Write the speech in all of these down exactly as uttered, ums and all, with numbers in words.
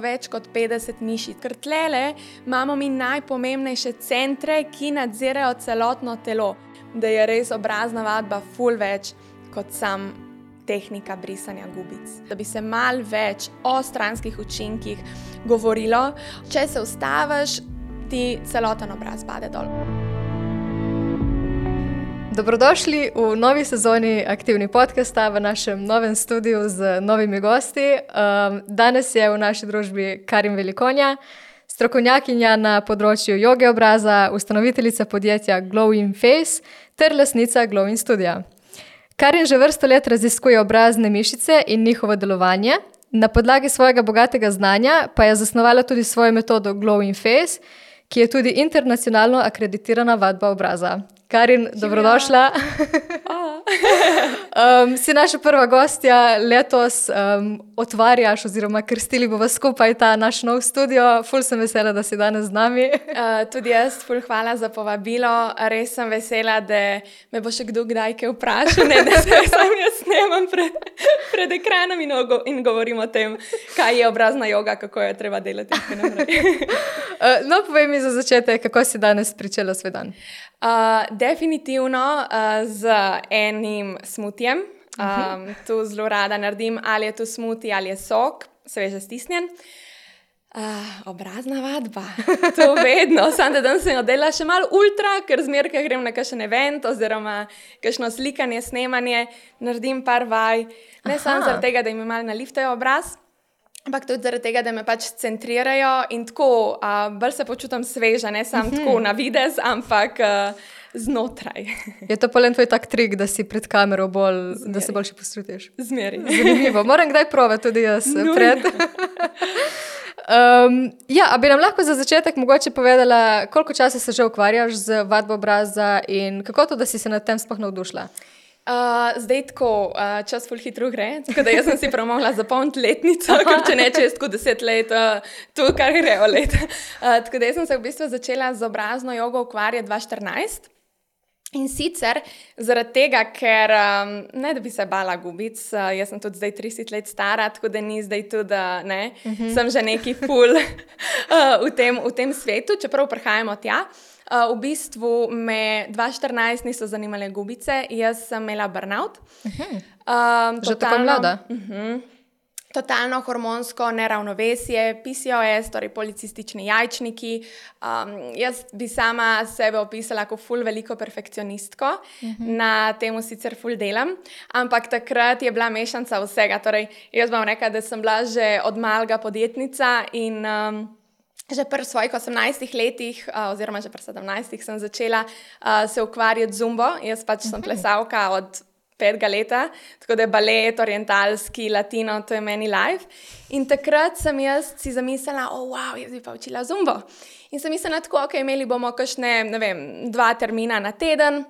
več kot petdeset mišic. Ker tlele imamo mi najpomembnejše centre, ki nadzirajo celotno telo, da je res obrazna vadba ful več kot sam tehnika brisanja gubic. Da bi se malo več o stranskih učinkih govorilo, če se ustaviš, ti celoten obraz pade dol. Dobrodošli v novi sezoni Aktivni podcasta v našem novem studiu z novimi gosti. Um, danes je v naši družbi Karin Velikonja, strokovnjakinja na področju joge obraza, ustanoviteljica podjetja Glow in Face ter lastnica Glow in Studia. Karin že vrsto let raziskuje obrazne mišice in njihovo delovanje. Na podlagi svojega bogatega znanja pa je zasnovala tudi svojo metodo Glow in Face, ki je tudi internacionalno akreditirana vadba obraza. Karin, dobrodošla. um, si naša prva gostja, letos um, otvarjaš oziroma krstili bova skupaj ta naš nov studio. Ful sem vesela, da si danes z nami. uh, tudi jaz, ful hvala za povabilo. Res sem vesela, da me bo še kdo kdaj kaj vprašal, ne, da se sam jaz snemam pred, pred ekranom in, in govorim o tem, kaj je obrazna joga, kako jo treba delati. uh, no, povej mi za začetek, kako si danes pričela svoj dan. Uh, definitivno uh, z enim smutijem. Um, tu zelo rada naredim, ali je to smuti ali je sok, sveže stisnjen. Uh, obrazna vadba, to vedno. Sam da danes sem oddelala še malo ultra, ker zmeraj grem na kakšen event oziroma kakšno slikanje, snemanje, naredim par vaj. Ne samo zaradi tega, da jim malo naliftajo obraz, ampak tudi zaradi tega, da me pač centrirajo in tako, uh, bolj se počutim sveža, ne samo uh-huh. tako na videz, ampak uh, znotraj. Je to polen tvoj tak trik, da si pred kamero bolj, Zmeri. Da se boljše postrutiš? Zmeri. Zanimivo. Moram kdaj provati tudi jaz no, pred. um, ja, a bi nam lahko za začetek mogoče povedala, koliko časa se že ukvarjaš z vadbo obraza in kako to, da si se nad tem sploh navdušila? Uh, zdaj tako, uh, čas ful hitro gre, tako da jaz sem si prav mogla zapomniti letnico, ker če ne čez tako deset let, uh, to kar grejo let. Uh, tako da jaz sem se v bistvu začela z obrazno jogo ukvarjati dva tisoč štirinajst. In sicer zaradi tega, ker um, ne da bi se bala gubic, uh, jaz sem tudi zdaj trideset let stara, tako da ni zdaj tudi, ne, uh-huh. sem že neki ful uh, v, tem, v tem svetu, čeprav prihajamo tja. Uh, v bistvu me dva tisoč štirinajst niso zanimale gubice, jaz sem imela burnout. Uh-huh. Um, že tako mlada? Uh-huh. Totalno hormonsko neravnovesje, P C O S, torej policistični jajčniki. Um, jaz bi sama sebe opisala kot ful veliko perfekcionistko, uh-huh. na temu sicer ful delam, ampak takrat je bila mešanca vsega. Torej, jaz bom rekla, da sem bila že od malega podjetnica in um, že pri svojih osemnajstih letih, uh, oziroma že pri sedemnajstih sem začela uh, se ukvarjati z zumbo. Jaz pač uh-huh. sem plesalka od petega leta, tako da je balet, orientalski, latino, to je meni life. In takrat sem jaz si zamislila, o, oh, wow, jaz bi pa učila zumbo. In sem mislila tako, ok, imeli bomo kakšne, ne vem, dva termina na teden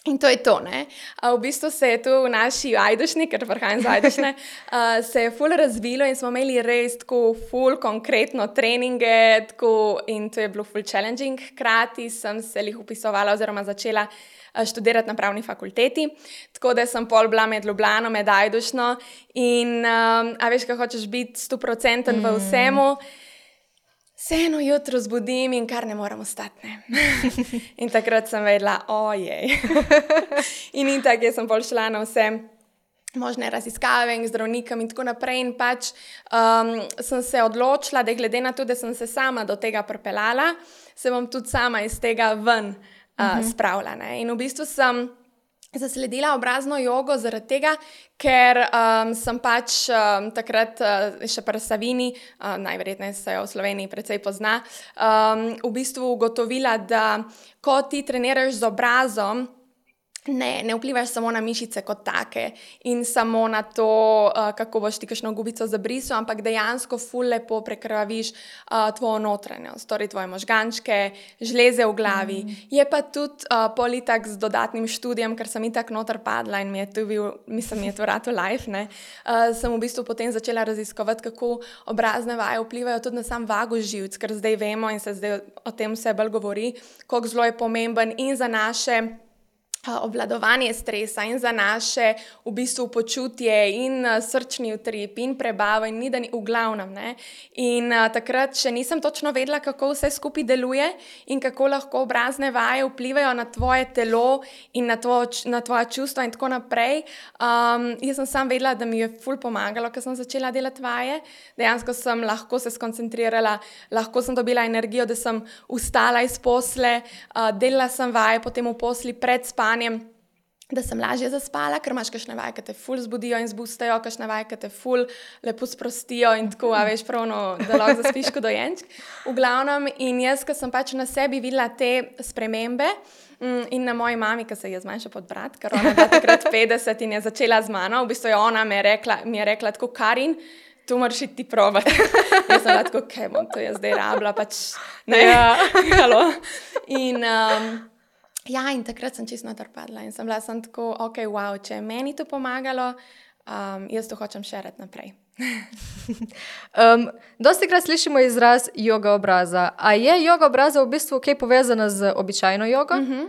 in to je to, ne. A v bistvu se je tu v naši Ajdušni, ker prihajam z Ajdušne, uh, se je ful razvilo in smo imeli res tako ful konkretno treninge, tako in to je bilo ful challenging. Hkrati sem se jih upisovala oziroma začela študirati na pravni fakulteti, tako da sem pol bila med Ljubljano, med Ajdušno in um, a veš, kaj hočeš biti sto procentov mm. v vsemu, se eno jutro zbudim in kar ne moram ostati, ne. In takrat sem vedela, ojej. In in tako sem pol šla na vse možne raziskave in zdravnikom in tako naprej in pač um, sem se odločila, da glede na to, da sem se sama do tega pripeljala, se bom tudi sama iz tega ven Uh, uh-huh. spravila. Ne? In v bistvu sem zasledila obrazno jogo zaradi tega, ker um, sem pač um, takrat uh, še pri Savini, uh, najverjetneje se jo v Sloveniji precej pozna, um, v bistvu ugotovila, da ko ti treniraš z obrazom, Ne, ne vplivaš samo na mišice kot take in samo na to, uh, kako boš ti kakšno gubico zabrisal, ampak dejansko ful lepo prekrvaviš uh, tvojo notranjost, torej tvoje možgančke, žleze v glavi. Mm. Je pa tudi uh, politak z dodatnim študijem, ker sem itak noter padla in mi je tu bil, mislim, mi je to rado life, ne. Uh, sem v bistvu potem začela raziskovati, kako obrazne vaje vplivajo tudi na sam vagus živc, ker zdaj vemo in se zdaj o tem vse bolj govori, koliko zelo je pomemben in za naše obvladovanje stresa in za naše v bistvu počutje in uh, srčni utrip in prebavo in ni, da ni v glavnem. Ne? In uh, takrat še nisem točno vedela, kako vse skupaj deluje in kako lahko obrazne vaje vplivajo na tvoje telo in na, tvo, na tvoja čustva in tako naprej. Um, jaz sem sam vedela, da mi je ful pomagalo, ko sem začela delati vaje. Dejansko sem lahko se skoncentrirala, lahko sem dobila energijo, da sem vstala iz posle, uh, delala sem vaje potem v posli pred spanjem, da sem lažje zaspala, ker imaš kakšne vaje, ki te ful zbudijo in zbustajo, kakšne vaje, ki te ful lepo sprostijo in tako, a veš, pravno, da lahko zaspiš kot dojenček. V glavnem, in jaz, ko sem pač na sebi videla te spremembe in na moji mami, ki se je zmanjša pod brat, ker ona je takrat petdeset in je začela z mano, v bistvu je ona mi je rekla, mi je rekla tako, Karin, tu moraš iti probati. Jaz sem tako, kaj bom to jaz zdaj rabila, pač ne, ja. Halo. In um, ja, in takrat sem čisto natrpadla in sem bila sem tako, ok, wow, če je meni to pomagalo, um, jaz to hočem šerati naprej. um, dosti krat slišimo izraz joga obraza. A je joga obraza v bistvu kaj povezana z običajno jogo? Mm-hmm.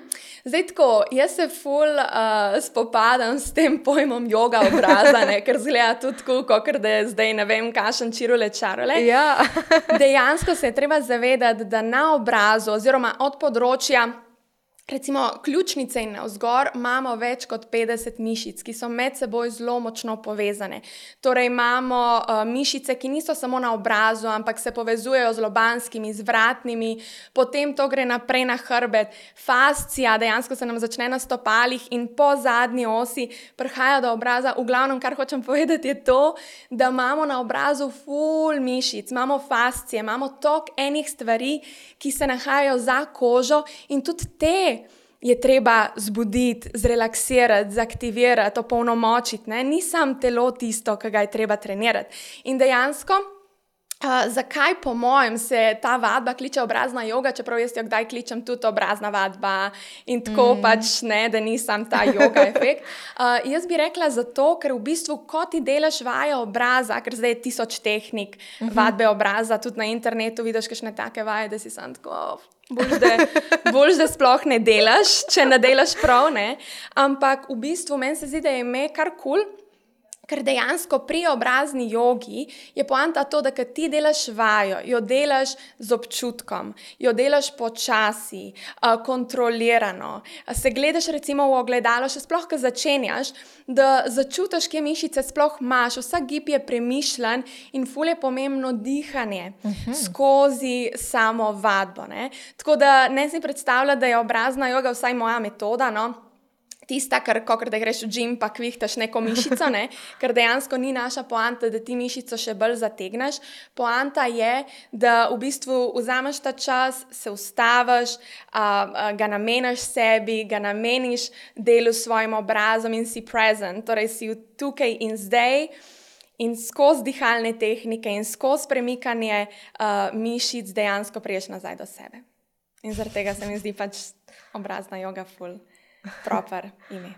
Zdaj tako, jaz se ful uh, spopadam s tem pojmom joga obraza, ne, ker zgleda tudi tako, kakor da je zdaj ne vem, kašen čirule čarole. Ja. Dejansko se je treba zavedati, da na obrazu oziroma od področja recimo ključnice in navzgor imamo več kot petdeset mišic, ki so med seboj zelo močno povezane. Torej imamo uh, mišice, ki niso samo na obrazu, ampak se povezujejo z lobanskimi, z vratnimi, potem to gre naprej na hrbet. Fascija dejansko se nam začne na stopalih in po zadnji osi prihaja do obraza. V glavnem, kar hočem povedati, je to, da imamo na obrazu ful mišic, imamo fascije, imamo tok enih stvari, ki se nahajajo za kožo in tudi te je treba zbuditi, zrelaksirati, zaktivirati, opolnomočiti. Ne? Ni sam telo tisto, ki ga je treba trenirati. In dejansko, uh, zakaj po mojem se ta vadba kliče obrazna joga, čeprav jaz jo kdaj kličem tudi obrazna vadba in tako mm. pač ne, da ni sam ta joga efekt. Uh, jaz bi rekla zato, ker v bistvu, ko ti delaš vaje obraza, ker zdaj je tisoč tehnik mm-hmm. vadbe obraza, tudi na internetu vidiš kakšne take vaje, da si sam tako... Bolj, da, bolj, da sploh ne delaš, če ne delaš prav, ne. Ampak v bistvu meni se zdi, da je ime kar kul, ker dejansko pri obrazni jogi je poanta to, da kad ti delaš vajo, jo delaš z občutkom, jo delaš počasi, uh, kontrolirano, se gledaš recimo v ogledalo, še sploh, ko začenjaš, da začutiš, kje mišice sploh imaš, vsak gib je premišljen in ful je pomembno dihanje uh-huh. skozi samo vadbo. Ne? Tako da ne si predstavljati, da je obrazna joga vsaj moja metoda, no? Tista, ker kakor da greš v gym, pa kvihtaš neko mišico, ne? Ker dejansko ni naša poanta, da ti mišico še bolj zategneš. Poanta je, da v bistvu vzameš ta čas, se ustaviš, a, a, ga nameniš sebi, ga nameniš delu s svojim obrazom in si present, torej si tukaj in zdaj in skozi dihalne tehnike in skozi premikanje a, mišic dejansko priješ nazaj do sebe. In zaradi tega se mi zdi pač obrazna joga ful. Proper ime.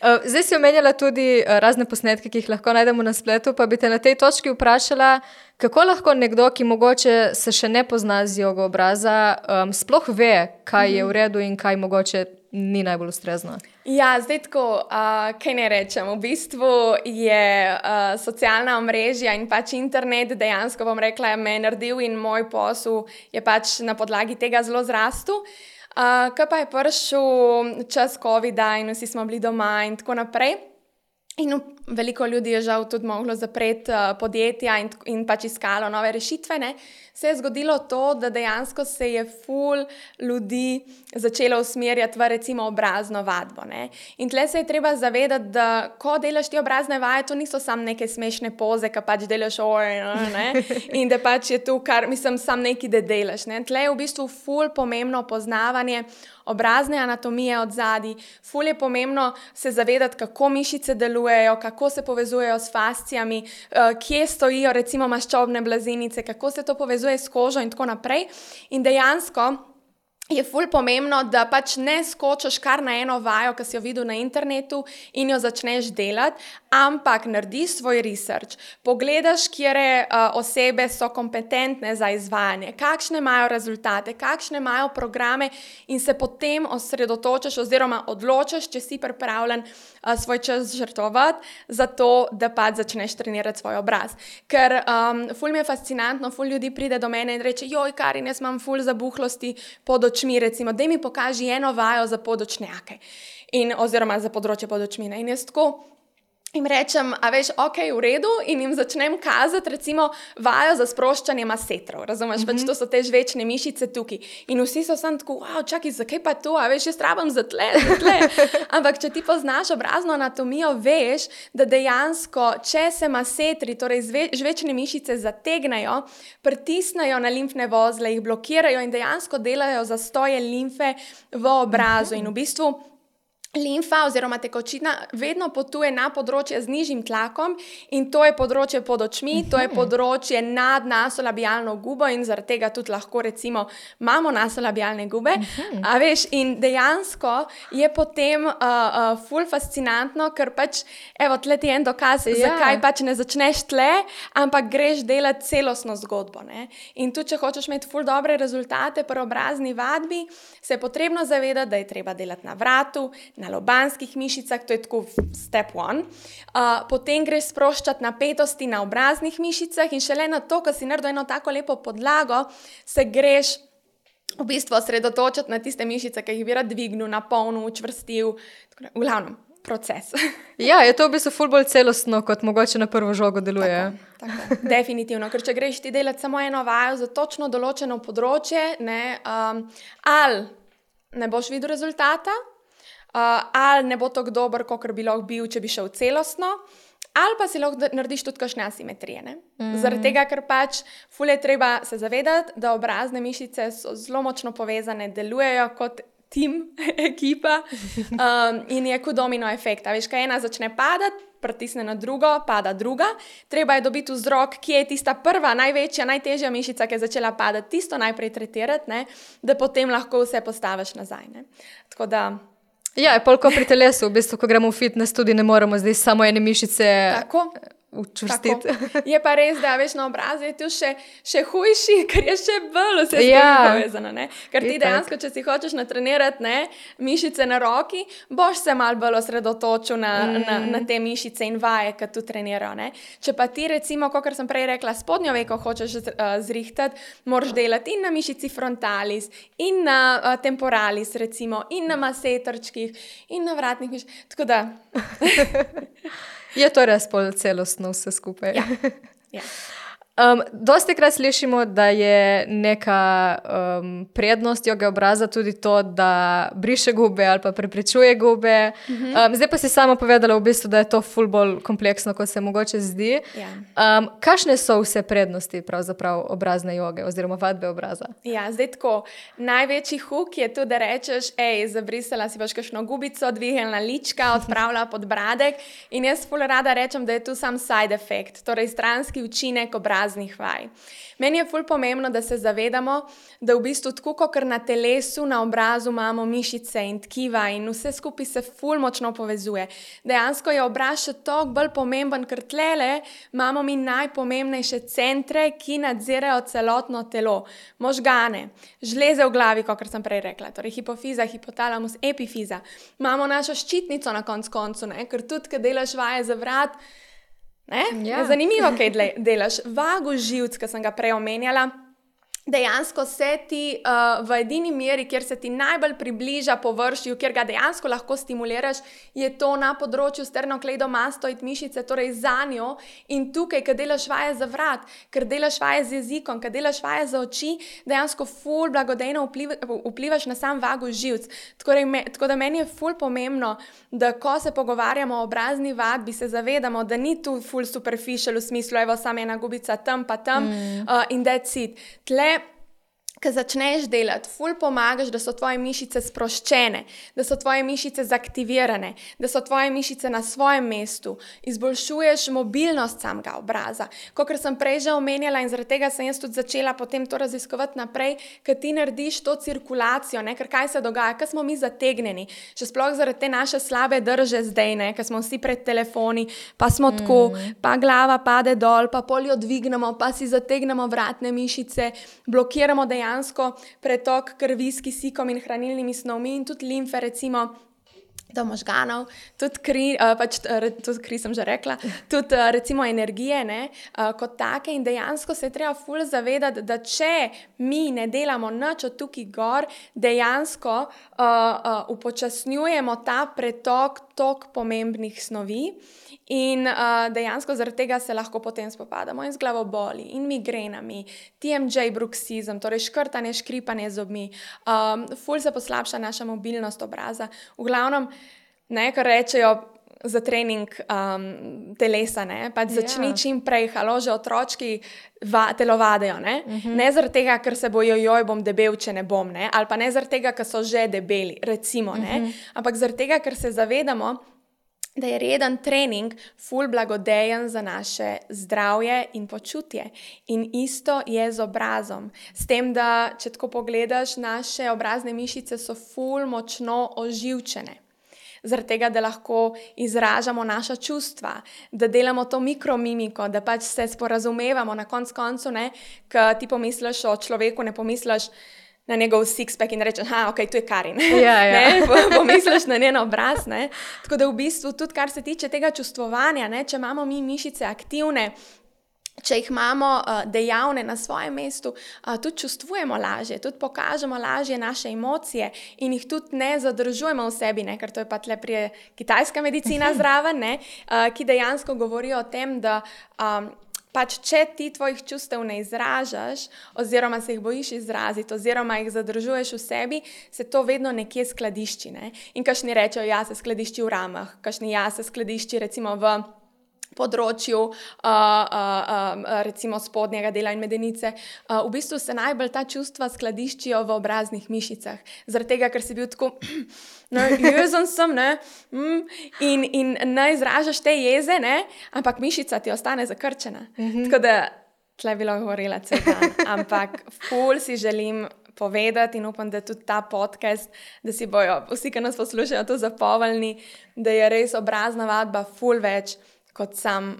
Zdaj si omenjala tudi razne posnetke, ki jih lahko najdemo na spletu, pa bi te na tej točki vprašala, kako lahko nekdo, ki mogoče se še ne pozna z jogo obraza, um, sploh ve, kaj je v redu in kaj mogoče ni najbolj ustrezno. Ja, zdaj tako, uh, kaj ne rečem, v bistvu je uh, socialna omrežja in pač internet dejansko, bom rekla, me je naredil in moj posel je pač na podlagi tega zelo zrastel. Uh, ko pa je prišel čas covida in vsi smo bili doma in tako naprej in veliko ljudi je žal tudi moglo zapreti uh, podjetja in, in pač iskalo nove rešitve, ne, se je zgodilo to, da dejansko se je ful ljudi začelo usmerjati v recimo obrazno vadbo. Ne. In tle se je treba zavedati, da ko delaš ti obrazne vaje, to niso samo neke smešne poze, ki pač delaš oj, ne, in da pač je tu kar, mislim, sam neki, da delaš. Ne. Tle je v bistvu ful pomembno poznavanje obrazne anatomije od zadaj, ful je pomembno se zavedati, kako mišice delujejo, kako se povezujejo s fascijami, kje stojijo recimo maščobne blazinice, kako se to povezuje s kožo in tako naprej. In dejansko je ful pomembno, da pač ne skočiš kar na eno vajo, ki si jo videl na internetu in jo začneš delati, ampak narediš svoj research, pogledaš, kjere uh, osebe so kompetentne za izvajanje, kakšne imajo rezultate, kakšne imajo programe in se potem osredotočiš oziroma odločiš, če si pripravljen uh, svoj čas žrtvovati za to, da pač začneš trenirati svoj obraz. Ker um, ful mi je fascinantno, ful ljudi pride do mene in reče, joj, Karin, jaz imam ful zabuhlosti pod očmi, recimo, daj mi pokaži eno vajo za podočnjake in, oziroma za področje podočmine. In jaz tako jim rečem, a veš, ok, v redu, in jim začnem kazati, recimo, vajo za sproščanje masetrov, razumeš, mm-hmm. pač to so te žvečne mišice tukaj. In vsi so sam tako, wow, čakaj, zakaj pa to, a veš, jaz rabam za tle, za tle. Ampak, če ti poznaš obrazno anatomijo, veš, da dejansko, če se masetri, torej zve, žvečne mišice zategnajo, pritisnajo na limfne vozle, jih blokirajo in dejansko delajo zastoje limfe v obrazu. Mm-hmm. In v bistvu limfa oziroma tekočina vedno potuje na področje z nižjim tlakom in to je področje pod očmi, to je področje nad nasolabialno gubo in zaradi tega tudi lahko recimo imamo nasolabialne gube, a veš, in dejansko je potem uh, uh, ful fascinantno, ker pač, evo, tle ti je en dokaz, ja. Zakaj pač ne začneš tle, ampak greš delati celostno zgodbo, ne? In tudi, če hočeš imeti ful dobre rezultate pri obrazni vadbi, se je potrebno zavedati, da je treba delati na vratu, na lobanskih mišicah, to je tako step one. Uh, potem greš sproščati napetosti na obraznih mišicah in šele na to, ko si naredil eno tako lepo podlago, se greš v bistvu osredotočiti na tiste mišice, ki jih bi rad dvignil, napolnil, učvrstil, v glavnem proces. Ja, je to v bistvu ful bolj celostno, kot mogoče na prvo žogo deluje. Tako, tako. Definitivno, ker če greš ti delati samo eno vajo za točno določeno področje, ne, um, ali ne boš videl rezultata, Uh, ali ne bo tako dober, kakor bi lahko bil, če bi šel celostno, ali pa si lahko narediš tudi kakšne asimetrije. Ne? Mm. Zaradi tega, ker pač ful je treba se zavedati, da obrazne mišice so zelo močno povezane, delujejo kot tim, ekipa um, in je kot domino efekt. A veš, kaj ena začne padati, pritisne na drugo, pada druga. Treba je dobiti vzrok, kje je tista prva, največja, najtežja mišica, ki je začela padati, tisto najprej tretirati, ne? Da potem lahko vse postaviš nazaj. Ne? Tako da ja, je polko pri telesu, v bistvu, ko gremo v fitness, tudi ne moramo zdaj samo ene mišice tako, učvrstiti. Tako. Je pa res, da veš na obrazu je tu še, še hujši, ker je še bolj vse ja. povezano. Ne? Ker ti dejansko, če si hočeš natrenirati ne, mišice na roki, boš se malo bolj osredotočil na, mm. na, na te mišice in vaje, ki tu trenirajo. Ne? Če pa ti recimo, kot sem prej rekla, spodnjo veko hočeš uh, zrihtati, moraš delati in na mišici frontalis, in na uh, temporalis recimo, in na masetrčkih, in na vratnih mišicah. Tako da... Je to res pol celostno vse skupaj. Ja, ja. Um, dosti krat slišimo, da je neka um, prednost joge obraza tudi to, da briše gube ali pa preprečuje gube. Mm-hmm. Um, zdaj pa si sama povedala v bistvu, da je to ful bolj kompleksno, kot se mogoče zdi. Ja. Um, kakšne so vse prednosti pravzaprav obrazne joge oziroma vadbe obraza? Ja, zdaj tako, največji huk je tu, da rečeš, ej, zabrisala si boš kakšno gubico, dvignila lička, odpravila podbradek in jaz ful rada rečem, da je tu sam side effect, torej stranski učinek obraznih vaj. Meni je ful pomembno, da se zavedamo, da v bistvu tako, kot na telesu, na obrazu imamo mišice in tkiva in vse skupaj se ful močno povezuje. Dejansko je obraz še toliko bolj pomemben, ker tlele imamo mi najpomembnejše centre, ki nadzirajo celotno telo. Možgane, žleze v glavi, kot sem prej rekla, torej hipofiza, hipotalamus, epifiza. Imamo našo ščitnico na konc koncu, ne? Ker tudi, kad delaš vaje za vrat, Ne? Ja. Zanimivo, kaj delaš. Vago živc, ki sem ga prej omenjala, dejansko se ti uh, v edini meri, kjer se ti najbolj približa površju, kjer ga dejansko lahko stimuliraš, je to na področju sternokleidomastoid mišice, torej za njo in tukaj, kad delaš vaje za vrat, ker delaš vaje z jezikom, kad delaš vaje za oči, dejansko ful blagodejno vpliv, vplivaš na sam vago živc. Tako, me, tako da meni je ful pomembno, da ko se pogovarjamo o obrazni vadbi, se zavedamo, da ni tu ful superficial v smislu, evo, samo ena gubica tam pa tam mm. uh, in that's it. Tle Ko začneš delati, ful pomagaš, da so tvoje mišice sproščene, da so tvoje mišice zaktivirane, da so tvoje mišice na svojem mestu, izboljšuješ mobilnost samega obraza. Kakor sem prej že omenjala in zaradi tega sem jaz tudi začela potem to raziskovati naprej, ker ti narediš to cirkulacijo, ne? Ker kaj se dogaja, ker smo mi zategnjeni, še sploh zaradi te naše slabe drže zdaj, ne? Ker smo vsi pred telefoni, pa smo mm. tako, pa glava pade dol, pa pol jo dvignemo, pa si zategnemo vratne mišice, blokiramo dejansko pretok krvi s kisikom in hranilnimi snovmi in tudi limfe, recimo, do možganov, tudi kri, uh, pač, tudi kri sem že rekla, tudi uh, recimo energije, ne, uh, kot take in dejansko se je treba ful zavedati, da če mi ne delamo nič od tukaj gor, dejansko uh, uh, upočasnjujemo ta pretok tok pomembnih snovi in uh, dejansko zaradi tega se lahko potem spopadamo in z glavoboli in migrenami, T M J bruksizem, torej škrtanje, škripanje zobmi, um, ful se poslabša naša mobilnost obraza. V glavnem, ne, kar rečejo za trening um, telesa, ne, pač začni yeah. čim prej, halo, že otročki va, telovadejo, ne, uh-huh. ne zaradi tega, ker se bojo, joj, bom debel, če ne bom, ne, ali pa ne zaradi tega, ker so že debeli, recimo, ne, uh-huh. ampak zaradi tega, ker se zavedamo, da je reden trening ful blagodejen za naše zdravje in počutje. In isto je z obrazom. S tem, da če tako pogledaš, naše obrazne mišice so ful močno oživčene. Zaradi tega, da lahko izražamo naša čustva, da delamo to mikromimiko, da pač se sporazumevamo na konc koncu, ne, ko ti pomisliš o človeku, ne pomisliš na njegov six-pack in rečeš, ha, ok, tu je Karin. Ja, ja. Pomisliš na njen obraz, ne. Tako da v bistvu tudi, kar se tiče tega čustvovanja, ne, če imamo mi mišice aktivne, če jih imamo uh, dejavne na svojem mestu, uh, tudi čustvujemo lažje, tudi pokažemo lažje naše emocije in jih tudi ne zadržujemo v sebi, ne, ker to je pa tle prije kitajska medicina zraven, ne, uh, ki dejansko govorijo o tem, da um, pač če ti tvojih čustev ne izražaš oziroma se jih bojiš izraziti oziroma jih zadržuješ v sebi, se to vedno nekje skladišči, ne? In kakšni rečejo, ja, se skladišči v ramah, kakšni ja, se skladišči recimo v področju uh, uh, uh, recimo spodnjega dela in medenice. Uh, v bistvu se najbolj ta čustva skladiščijo v obraznih mišicah. Zaradi tega, ker si bil tako, no, jezen sem, ne, mm, in, in ne izražaš te jeze, ne, ampak mišica ti ostane zakrčena. Mm-hmm. Tako da, tle je bilo govorila cel dan, ampak ful si želim povedati in upam, da tudi ta podcast, da si bojo vsi, ki nas poslušajo, to zapolnili, da je res obrazna vadba ful več kot sam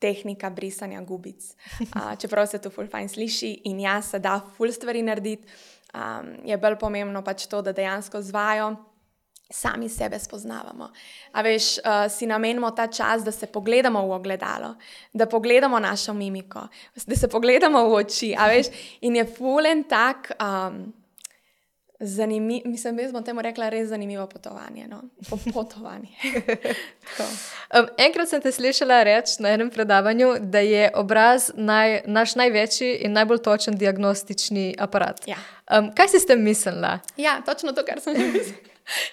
tehnika brisanja gubic. Uh, čeprav se to ful fajn sliši in ja, se da ful stvari narediti, um, je bolj pomembno pač to, da dejansko z vajo sami sebe spoznavamo. A veš, uh, si namenimo ta čas, da se pogledamo v ogledalo, da pogledamo našo mimiko, da se pogledamo v oči, a veš, in je ful en tak um, zanimiv, mislim, jaz bom temu rekla res zanimivo potovanje, no, potovanje. um, enkrat sem te slišala reči na enem predavanju, da je obraz naj, naš največji in najbolj točen diagnostični aparat. Ja. Um, kaj si s tem mislila? Ja, točno to, kar sem že mislila.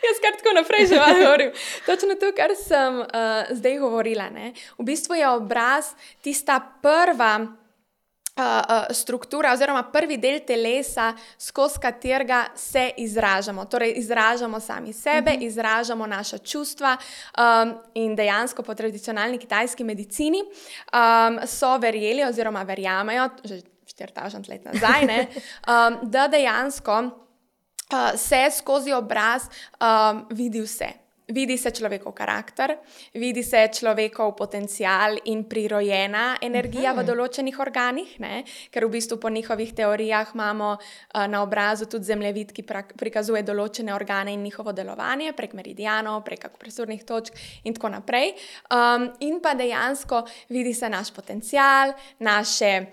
Jaz kar tako naprej že malo govorim. Točno to, kar sem uh, zdaj govorila, ne. V bistvu je obraz tista prva Uh, uh, struktura oziroma prvi del telesa, skozi katerega se izražamo. Torej, izražamo sami sebe, uh-huh. izražamo naša čustva um, in dejansko po tradicionalni kitajski medicini um, so verjeli oziroma verjamejo, že štiri tisoč let nazaj, ne, um, da dejansko uh, se skozi obraz um, vidi vse. Vidi se človekov karakter, vidi se človekov potencial in prirojena energija uh-huh. v določenih organih, ne? Ker v bistvu po njihovih teorijah imamo uh, na obrazu tudi zemljevid, ki pra- prikazuje določene organe in njihovo delovanje prek meridianov, prek akupresurnih točk in tako naprej. Um, in pa dejansko vidi se naš potencial, naše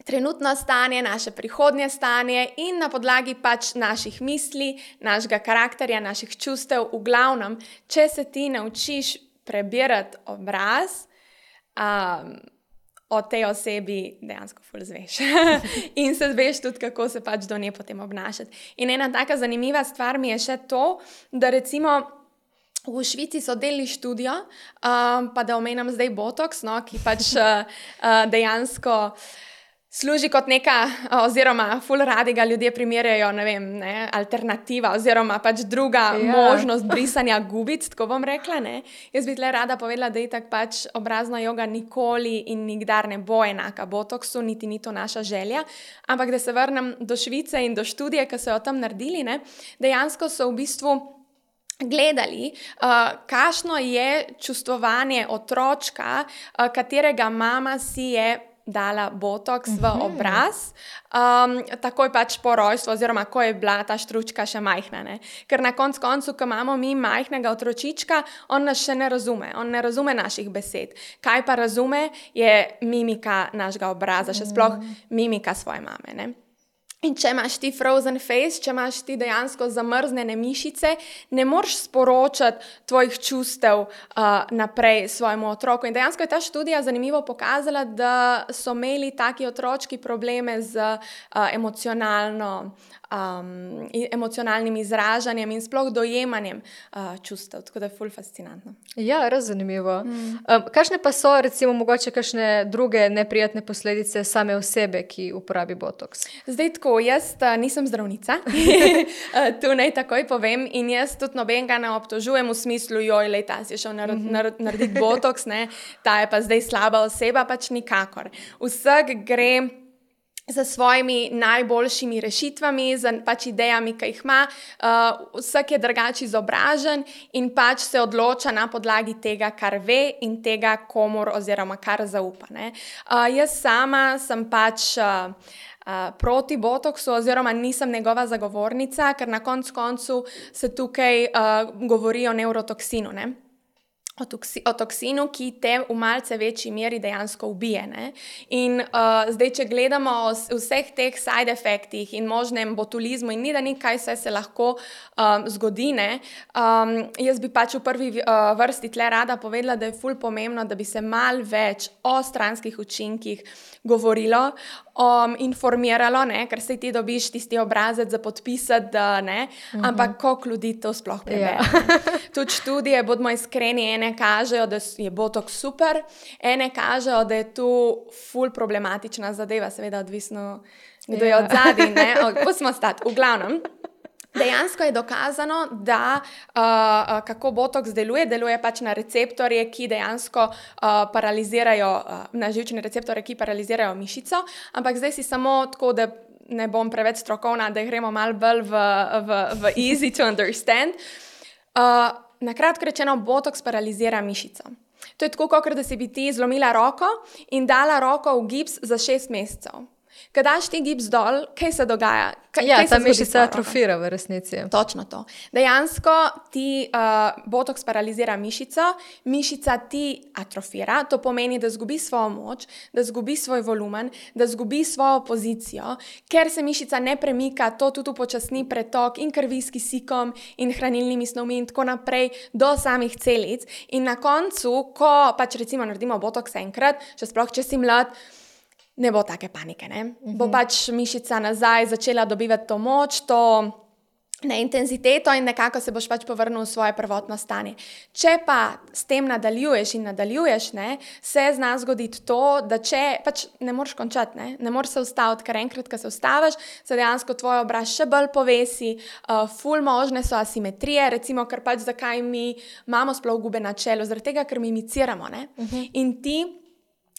trenutno stanje, naše prihodnje stanje in na podlagi pač naših misli, našega karakterja, naših čustev, v glavnem, če se ti naučiš prebirati obraz, um, o tej osebi dejansko ful zveš. In se zveš tudi, kako se pač do nje potem obnašati. In ena taka zanimiva stvar mi je še to, da recimo v Švici so delili študijo, um, pa da omenjam zdaj botoks, no, ki pač uh, uh, dejansko služi kot neka, oziroma ful radi ga ljudje primerjajo, ne vem, ne, alternativa, oziroma pač druga ja. možnost brisanja gubic, tako bom rekla, ne. Jaz bi tle rada povedala, da itak pač obrazna joga nikoli in nikdar ne bo enaka botoksu, niti ni to naša želja, ampak da se vrnem do Švice in do študije, ki so jo tam naredili, ne, dejansko so v bistvu gledali, uh, kakšno je čustvovanje otročka, uh, katerega mama si je dala botoks v obraz, um, takoj pač po rojstvu, oziroma ko je bila ta štručka še majhna. Ne? Ker na konc koncu, ko imamo mi majhnega otročička, on nas še ne razume, on ne razume naših besed. Kaj pa razume, je mimika našega obraza, še sploh mimika svoje mame. Ne? In če imaš ti frozen face, če imaš ti dejansko zamrznjene mišice, ne moreš sporočati tvojih čustev uh, naprej svojemu otroku. In dejansko je ta študija zanimivo pokazala, da so imeli taki otročki probleme z uh, emocionalno, um, emocionalnim izražanjem in sploh dojemanjem uh, čustev. Tako da je ful fascinantno. Ja, res zanimivo. Mm. Um, kakšne pa so, recimo, mogoče kakšne druge neprijatne posledice same osebe, ki uporabi botoks? Zdaj tako, jaz uh, nisem zdravnica, tu naj takoj povem, in jaz tudi nobenega ne obtožujem v smislu, joj, lej, ta si šel nar nar narediti botoks, ne, ta je pa zdaj slaba oseba, pač nikakor. Vsak gre za svojimi najboljšimi rešitvami, za pač idejami, ki jih ima, uh, vsak je drugače izobražen in pač se odloča na podlagi tega, kar ve in tega, komur oziroma kar zaupa. Ne. Uh, jaz sama sem pač uh, uh, proti botoksu oziroma nisem njegova zagovornica, ker na koncu koncu se tukaj uh, govori o nevrotoksinu, ne. O, toksi, o toksinu, ki te v malce večji meri dejansko ubije. Ne? In uh, zdaj, če gledamo o vseh teh side efektih in možnem botulizmu in ni da ni, kaj vse se lahko um, zgodi, ne? Um, jaz bi pač v prvi uh, vrsti tle rada povedala, da je ful pomembno, da bi se mal več o stranskih učinkih govorilo, um, informiralo, ne? Ker se ti dobiš tisti obrazec za podpisati, da ne, mm-hmm. ampak koliko ljudi to sploh prebere. Yeah. Tudi študije, bodimo iskreni, ene kažejo, da je botoks super, ene kažejo, da je tu ful problematična zadeva, seveda odvisno, kdo je od zadaj, ne, pustimo stati, v glavnem. Dejansko je dokazano, da uh, kako botoks deluje, deluje pač na receptorje, ki dejansko uh, paralizirajo, uh, na živčne receptorje, ki paralizirajo mišico, ampak zdaj si samo tako, da ne bom preveč strokovna, da gremo malo bolj v, v, v easy to understand. Uh, Na kratko rečeno, botoks paralizira mišico. To je tako, kot da si bi ti zlomila roko in dala roko v gips za šest mesecev. Kad daš ti gips dol, kaj se dogaja? Kaj, ja, kaj ta mišica atrofira v resnici. Točno to. Dejansko ti uh, botoks paralizira mišico, mišica ti atrofira, to pomeni, da zgubi svojo moč, da zgubi svoj volumen, da zgubi svojo pozicijo, ker se mišica ne premika, to tudi upočasni pretok in krvi s kisikom in hranilnimi snovmi in tako naprej do samih celic. In na koncu, ko pač recimo naredimo botoks enkrat, še sploh, če si mlad, ne bo take panike, ne? Uh-huh. Bo pač mišica nazaj začela dobivati to moč, to ne, intenziteto in nekako se boš pač povrnil v svoje prvotno stanje. Če pa s tem nadaljuješ in nadaljuješ, ne, se zna zgoditi to, da če pač ne moreš končati, ne, ne moreš se ustaviti, ker enkrat, ko se ustaviš, se dejansko tvoj obraz še bolj povesi, uh, ful možne so asimetrije, recimo, ker pač zakaj mi imamo sploh gube na čelu, zaradi tega, ker mimiciramo, ne, uh-huh. in ti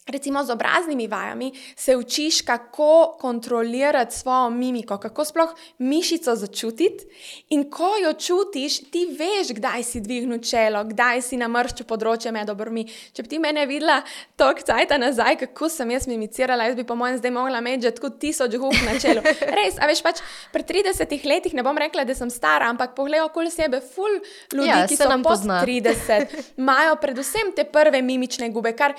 recimo z obraznimi vajami se učiš, kako kontrolirati svojo mimiko, kako sploh mišico začutiti in ko jo čutiš, ti veš, kdaj si dvignil čelo, kdaj si namrščil področje med obrvmi. Če bi ti mene videla toliko cajta nazaj, kako sem jaz mimicirala, jaz bi po mojem zdaj mogla imeti že tako tisoč gub na čelu. Res, a veš pač, pri tridesetih letih ne bom rekla, da sem stara, ampak poglej okoli sebe, ful ljudi, ja, ki so pod trideset, imajo predvsem te prve mimične gube, kar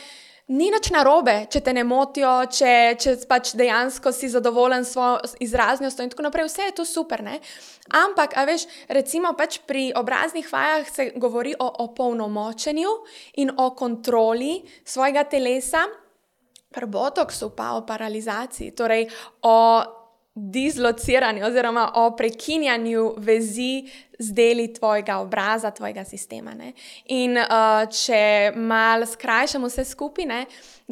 ni nič narobe, če te ne motijo, če, če pač dejansko si zadovoljen s svojo izraznostjo in tako naprej, vse je to super, ne? Ampak, a veš, recimo pač pri obraznih vajah se govori o opolnomočenju in o kontroli svojega telesa, pri botoksu pa o paralizaciji, torej o dislociranju oziroma o prekinjanju vezi z deli tvojega obraza, tvojega sistema. Ne? In uh, če malo skrajšamo vse skupaj, ne,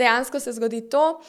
dejansko se zgodi to,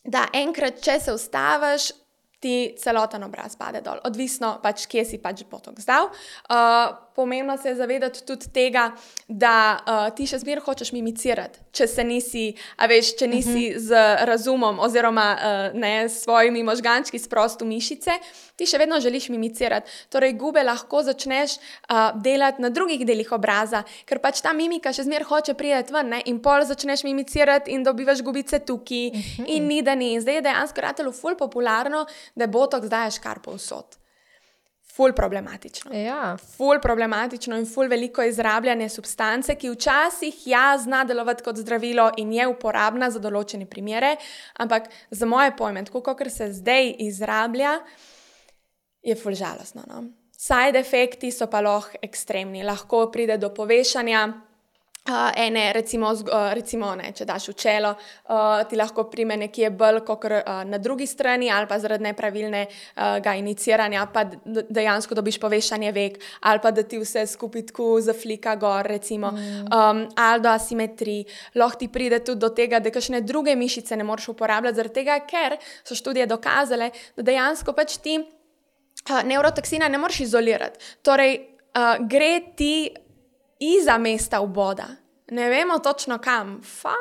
da enkrat, če se ustaviš, ti celoten obraz pade dol. Odvisno pač, kje si pač botoks dal. Uh, pomembno se je zavedati tudi tega, da uh, ti še zmeraj hočeš mimicirati, če se nisi, a veš, če nisi uh-huh. z razumom oziroma uh, ne, s svojimi možgančki sprostu mišice, ti še vedno želiš mimicirati. Torej, gube lahko začneš uh, delati na drugih delih obraza, ker pač ta mimika še zmeraj hoče priti ven, ne? In pol začneš mimicirati in dobivaš gubice tukaj uh-huh. in ni da ni. Zdaj je dejansko ratelo ful popularno, da botoks daješ kar povsod. Ful problematično. Ja. Ful problematično in ful veliko izrabljanje substance, ki včasih ja zna delovati kot zdravilo in je uporabna za določene primere, ampak za moje pojme, tako kakor se zdaj izrablja, je ful žalostno. No? Side efekti so pa lahko ekstremni. Lahko pride do povešanja. Uh, ene, recimo, uh, recimo ne, če daš v čelo, uh, ti lahko prime nekje bolj kot uh, na drugi strani ali pa zaradi nepravilnega uh, iniciranja, pa dejansko dobiš povešanje vek ali pa da ti vse skupaj tako zaflika gor, recimo, mm. um, ali do asimetrij. Lahko ti pride tudi do tega, da kakšne druge mišice ne moreš uporabljati, zaradi tega, ker so študije dokazale, da dejansko pač ti uh, nevrotoksina ne moreš izolirati. Torej, uh, gre ti iza mesta vboda. Ne vemo točno kam. Fa,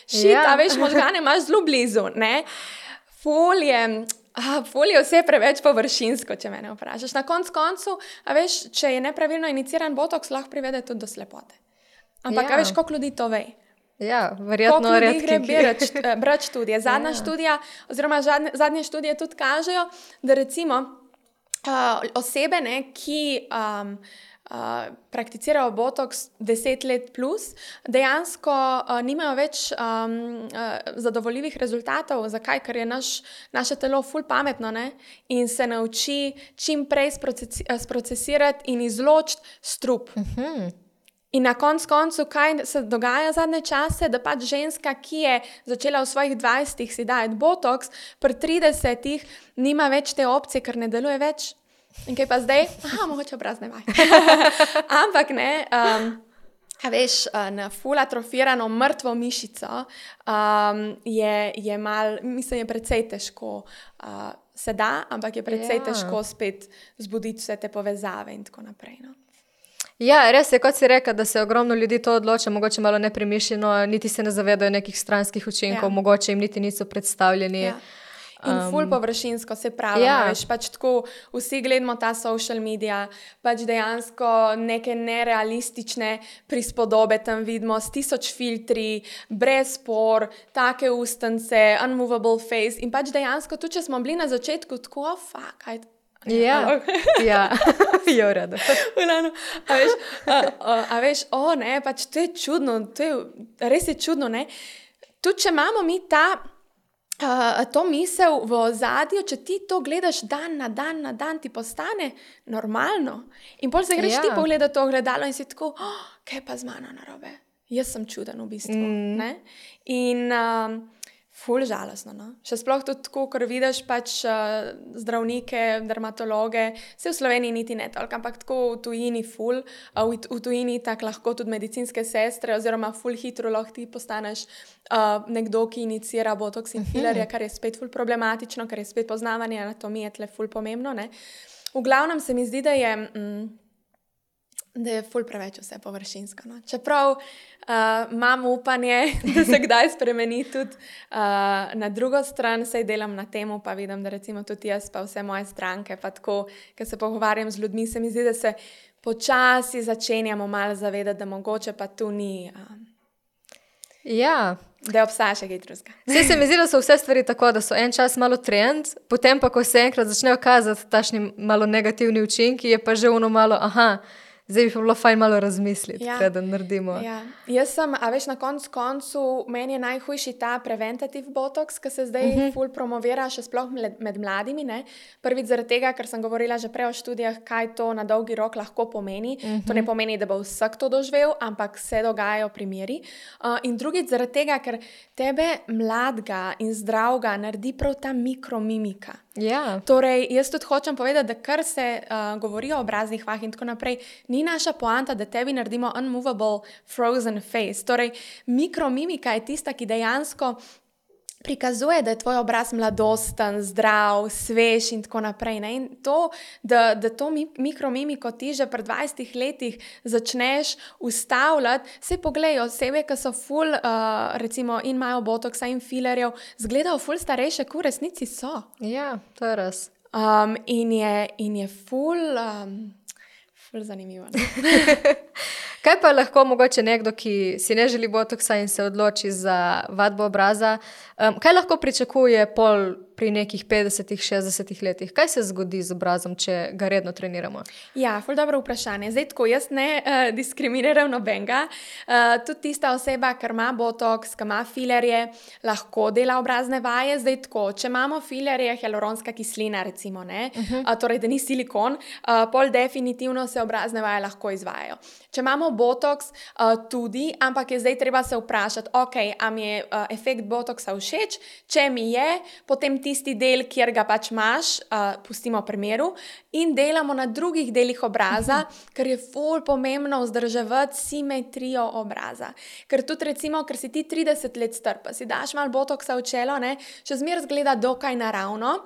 šit, ja. A veš, možgane imaš zelo blizu, ne? Ful je, a, ful je vse preveč površinsko, če mene vprašaš. Na konc koncu, a veš, če je nepravilno iniciran botoks, lahko privede tudi do slepote. Ampak, ja. A veš, koliko ljudi to ve? Ja, verjetno redki. Koliko ljudi gre brati študije. Zadnja ja. študija, oziroma zadnje, zadnje študije tudi kažejo, da recimo uh, osebe, ne, ki um, Uh, prakticirajo botoks deset let plus, dejansko uh, nimajo več um, uh, zadovoljivih rezultatov. Zakaj? Ker je naš, naše telo ful pametno, ne? In se nauči čim prej sprocesi, sprocesirati in izločiti strup. Uh-huh. In na konc koncu, kaj se dogaja zadnje čase, da pač ženska, ki je začela v svojih dvajsetih si dajati botoks, pri tridesetih nima več te opcije, ker ne deluje več. In kaj pa zdaj? Aha, mogoče obraz ne vaj. Ampak ne, um, a veš, na ful atrofirano mrtvo mišico um, je, je mal, mislim, je precej težko uh, se da, ampak je precej ja. težko spet zbuditi vse te povezave in tako naprej. No? Ja, res je, kot si rekel, da se ogromno ljudi to odloča, mogoče malo nepremišljeno, niti se ne zavedajo nekih stranskih učinkov, ja. mogoče jim niti niso predstavljeni. Ja. In ful površinsko, se pravi, ja. veš, pač tako vsi gledamo ta social media, pač dejansko neke nerealistične prispodobe tam vidimo, s tisoč filtri, brez por, take ustance, unmovable face in pač dejansko, tudi če smo bili na začetku tako, oh, fuck, aj, ja, ja, je v redu. A veš, a, a, a veš, o ne, pač to je čudno, to je, res je čudno, ne, tudi če imamo mi ta Uh, to misel v ozadju, če ti to gledaš dan na dan na dan, ti postane normalno. In pol se greš ja. ti pogledati to ogledalo in si tako, oh, kaj pa z mano narobe? Jaz sem čuden v bistvu. Mm. Ne? In um, ful žalostno. No? Še sploh tudi tako, ker vidiš pač uh, zdravnike, dermatologe, se v Sloveniji niti ne toliko, ampak tako v tujini ful, uh, v, v tujini tako lahko tudi medicinske sestre oziroma ful hitro lahko ti postaneš uh, nekdo, ki inicira botoks in filerja, kar je spet ful problematično, ker je spet poznavanje anatomije tle ful pomembno. Ne? V glavnem se mi zdi, da je... Mm, da je ful preveč vse površinsko. No? Čeprav uh, imam upanje, da se kdaj spremeni tudi uh, na drugo stran, sej delam na temu, pa vidim, da recimo tudi jaz, pa vse moje stranke, pa tako, ko se pogovarjam z ljudmi, se mi zdi, da se počasi začenjamo malo zavedati, da mogoče pa tu ni... Uh, ja. Da obstaja še kaj drugega. Zdaj se mi zdi, da so vse stvari tako, da so en čas malo trend, potem pa, ko se enkrat začnejo kazati tašni malo negativni učinki, je pa že ono malo, aha, zdaj bi pa bilo fajn malo razmisliti, ja. Kaj da naredimo. Ja. Jaz sem, a veš, na koncu koncu, meni je najhujši ta preventativ botoks, ki se zdaj uh-huh. ful promovira, še sploh med, med mladimi. Ne? Prvič zaradi tega, ker sem govorila že prej o študijah, kaj to na dolgi rok lahko pomeni. Uh-huh. To ne pomeni, da bo vsak to doživel, ampak se dogajajo primeri. Uh, in drugič zaradi tega, ker tebe mladega in zdravega naredi prav ta mikromimika. Ja. Torej, jaz tudi hočem povedati, da kar se uh, govori o obraznih vah in tako naprej, ni naša poanta, da tebi naredimo unmovable frozen face. Torej, mikromimika je tista, ki dejansko prikazuje, da je tvoj obraz mladosten, zdrav, svež in tako naprej. Ne? In to, da, da to mikromimiko ti že pri dvajsetih letih začneš ustavljati, se pogledajo osebe, ki so ful, uh, recimo, in imajo botoksa in filerjev, zgledajo ful starejše, kot v resnici so. Ja, to je res. Um, in, je, in je ful, um, ful zanimivo. Kaj pa lahko mogoče nekdo, ki si ne želi botoksa in se odloči za vadbo obraza, um, kaj lahko pričakuje pol pri nekih petdesetih, šestdesetih letih? Kaj se zgodi z obrazom, če ga redno treniramo? Ja, ful dobro vprašanje. Zdaj tako, jaz ne uh, diskriminiram nobenega. Uh, tudi tista oseba, ki ima botoks, ki ima filerje, lahko dela obrazne vaje. Zdaj tako, če imamo filerje, hialuronska kislina recimo, ne, uh -huh. uh, torej da ni silikon, uh, pol definitivno se obrazne vaje lahko izvajajo. Če imamo botoks, uh, tudi, ampak je zdaj treba se vprašati, ok, a mi je uh, efekt botoksa všeč, če mi je, potem tisti del, kjer ga pač imaš, uh, pustimo pri miru in delamo na drugih delih obraza, ker je ful pomembno vzdrževati simetrijo obraza. Ker tudi recimo, ker si ti trideset let star, pa si daš malo botoksa v čelo, ne, še zmeraj zgleda dokaj naravno.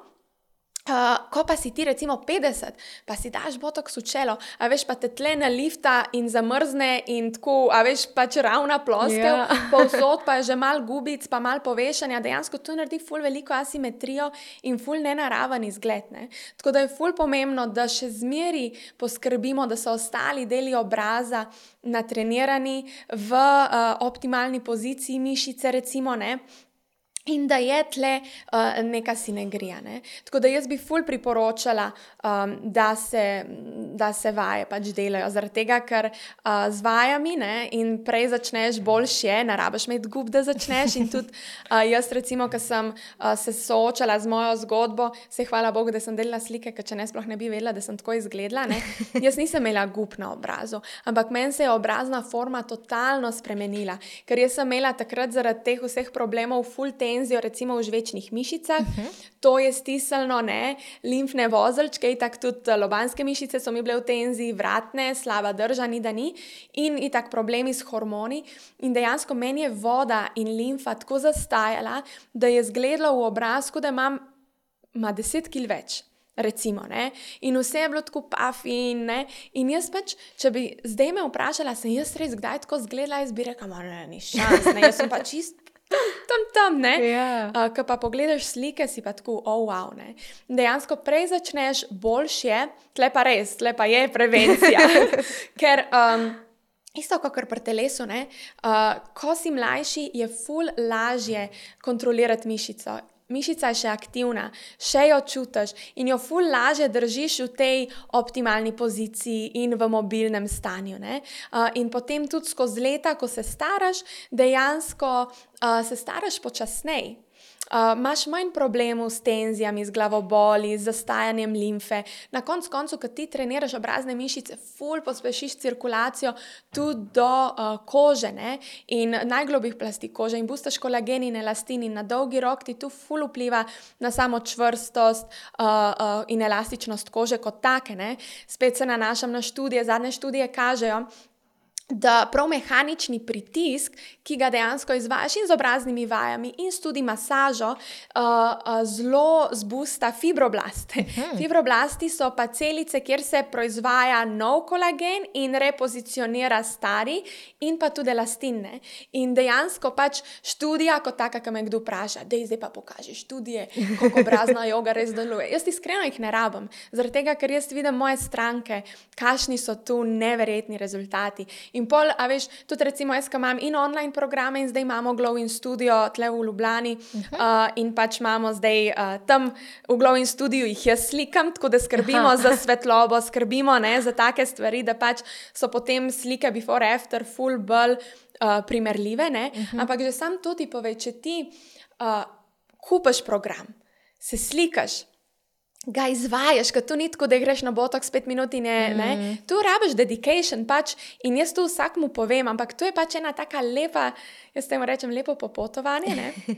Uh, ko pa si ti recimo petdeset, pa si daš botoks v čelo, a veš, pa te tle nalifta in zamrzne in tako, a veš, pač ravna ploskev, yeah. povsod pa je že mal gubic, pa mal povešanja, dejansko to naredi ful veliko asimetrijo in ful nenaraven izgled, ne. Tako da je ful pomembno, da še zmeri poskrbimo, da so ostali deli obraza natrenirani v uh, optimalni poziciji mišice recimo, ne. In da je tle uh, neka sinegrija. Ne? Tako da jaz bi ful priporočala, um, da, se, da se vaje pač delajo. Zaradi tega, ker uh, z vajami ne, in prej začneš boljše, ne rabiš imeti gub, da začneš. In tudi uh, jaz recimo, ko sem uh, se soočala z mojo zgodbo, se hvala Bogu, da sem delala slike, ker če ne sploh ne bi vedela, da sem tako izgledala. Ne? Jaz nisem imela gub na obrazu, ampak meni se je obrazna forma totalno spremenila. Ker jaz sem imela takrat zaradi teh vseh problemov ful ten recimo v žvečnih mišicah, uh-huh. to je stisnilo, ne, limfne vozelčke, itak tudi lobanske mišice so mi bile v tenziji, vratne, slaba drža, ni da ni, in itak problemi s hormoni. In dejansko meni je voda in limfa tako zastajala, da je zgledalo v obrazku, da imam ma deset kil več. Recimo, ne, in vse je bilo tako puffy, ne, in jaz pač, če bi zdaj me vprašala, sem jaz res kdaj tako zgledala, jaz bi rekla, ma ne, ni šans, ne, jaz sem pa čist tam, tam, tam, ne, yeah. uh, ko pa pogledaš slike, si pa tako, oh, wow, ne, dejansko prej začneš boljše, tle pa res, tle pa je prevencija, ker, um, isto kot pri telesu, ne, uh, ko si mlajši, je ful lažje kontrolirati mišico. Mišica je še aktivna, še jo čutiš in jo ful lažje držiš v tej optimalni poziciji in v mobilnem stanju. Ne? Uh, in potem tudi skozi leta, ko se staraš, dejansko uh, se staraš počasneje. Uh, imaš manj problemov s tenzijami, z glavoboli, z zastajanjem limfe. Na koncu koncu, ko ti treniraš obrazne mišice, ful pospešiš cirkulacijo tudi do uh, kože, ne? In najglobjih plasti kože in bustaš kolagen in elastin in na dolgi rok ti tu ful vpliva na samo čvrstost uh, uh, in elastičnost kože kot take. Ne? Spet se nanašam na študije, zadnje študije kažejo, da prav mehanični pritisk, ki ga dejansko izvajaš in z obraznimi vajami in s tudi masažo, uh, uh, zelo zbusta fibroblaste. Hmm. Fibroblasti so pa celice, kjer se proizvaja nov kolagen in repozicionira stari in pa tudi elastinne. In dejansko pač študija, kot taka, ki me kdo vpraša, dej zdaj pa pokaži študije, koliko obrazna joga res deluje. Jaz iskreno jih ne rabim, zaradi tega, ker jaz vidim moje stranke, kakšni so tu neverjetni rezultati. In pol, a veš, tudi recimo jaz, ko imam in online programe in zdaj imamo Glow in Studio tle v Ljubljani uh-huh. uh, in pač imamo zdaj uh, tam v Glow in Studiu jih jaz slikam, tako da skrbimo Aha. za svetlobo, skrbimo ne, za take stvari, da pač so potem slike before after full bolj uh, primerljive, ne, uh-huh. ampak že sam to ti pove, če ti uh, kupaš program, se slikaš, ga izvajaš, ker to ni tako, da greš na botoks pet minut in je, mm. ne, tu rabiš dedication pač in jaz tu vsakmu povem, ampak to je pač ena taka lepa, jaz temu rečem lepo popotovanje, ne,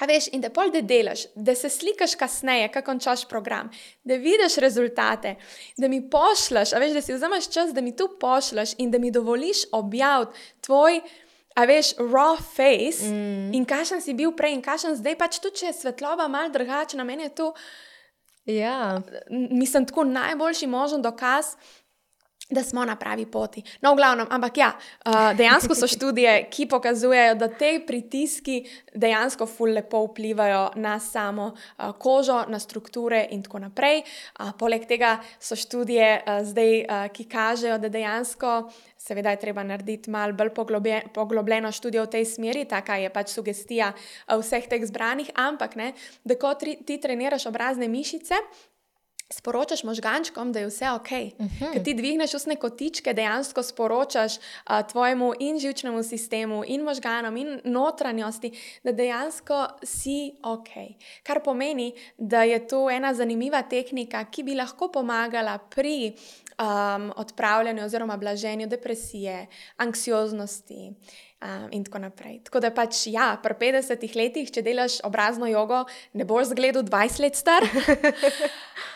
a veš, in da pol da delaš, da se slikaš kasneje, ko končaš program, da vidiš rezultate, da mi pošljaš, a veš, da si vzameš čas, da mi tu pošljaš in da mi dovoliš objaviti tvoj a veš, raw face mm. in kakšen si bil prej in kakšen zdaj, pač tudi, če je svetloba malo drugačna, meni je to, ja. mislim, tako najboljši možen dokaz, da smo na pravi poti. No, v glavnem, ampak ja, dejansko so študije, ki pokazujejo, da te pritiski dejansko ful lepo vplivajo na samo kožo, na strukture in tako naprej. Poleg tega so študije zdaj, ki kažejo, da dejansko, seveda je treba narediti malo bolj poglobljeno študijo v tej smeri, taka je pač sugestija vseh teh zbranih, ampak ne, da ko ti treniraš obrazne mišice, sporočaš možgančkom, da je vse ok. Uh-huh. Ker ti dvigneš ustne kotičke, dejansko sporočaš uh, tvojemu in živčnemu sistemu, in možganom, in notranjosti, da dejansko si ok. Kar pomeni, da je to ena zanimiva tehnika, ki bi lahko pomagala pri um, odpravljanju oziroma blaženju depresije, anksioznosti, Um, in tako naprej. Tako da pač, ja, pri petdesetih letih, če delaš obrazno jogo, ne boš zgledal dvajset let star,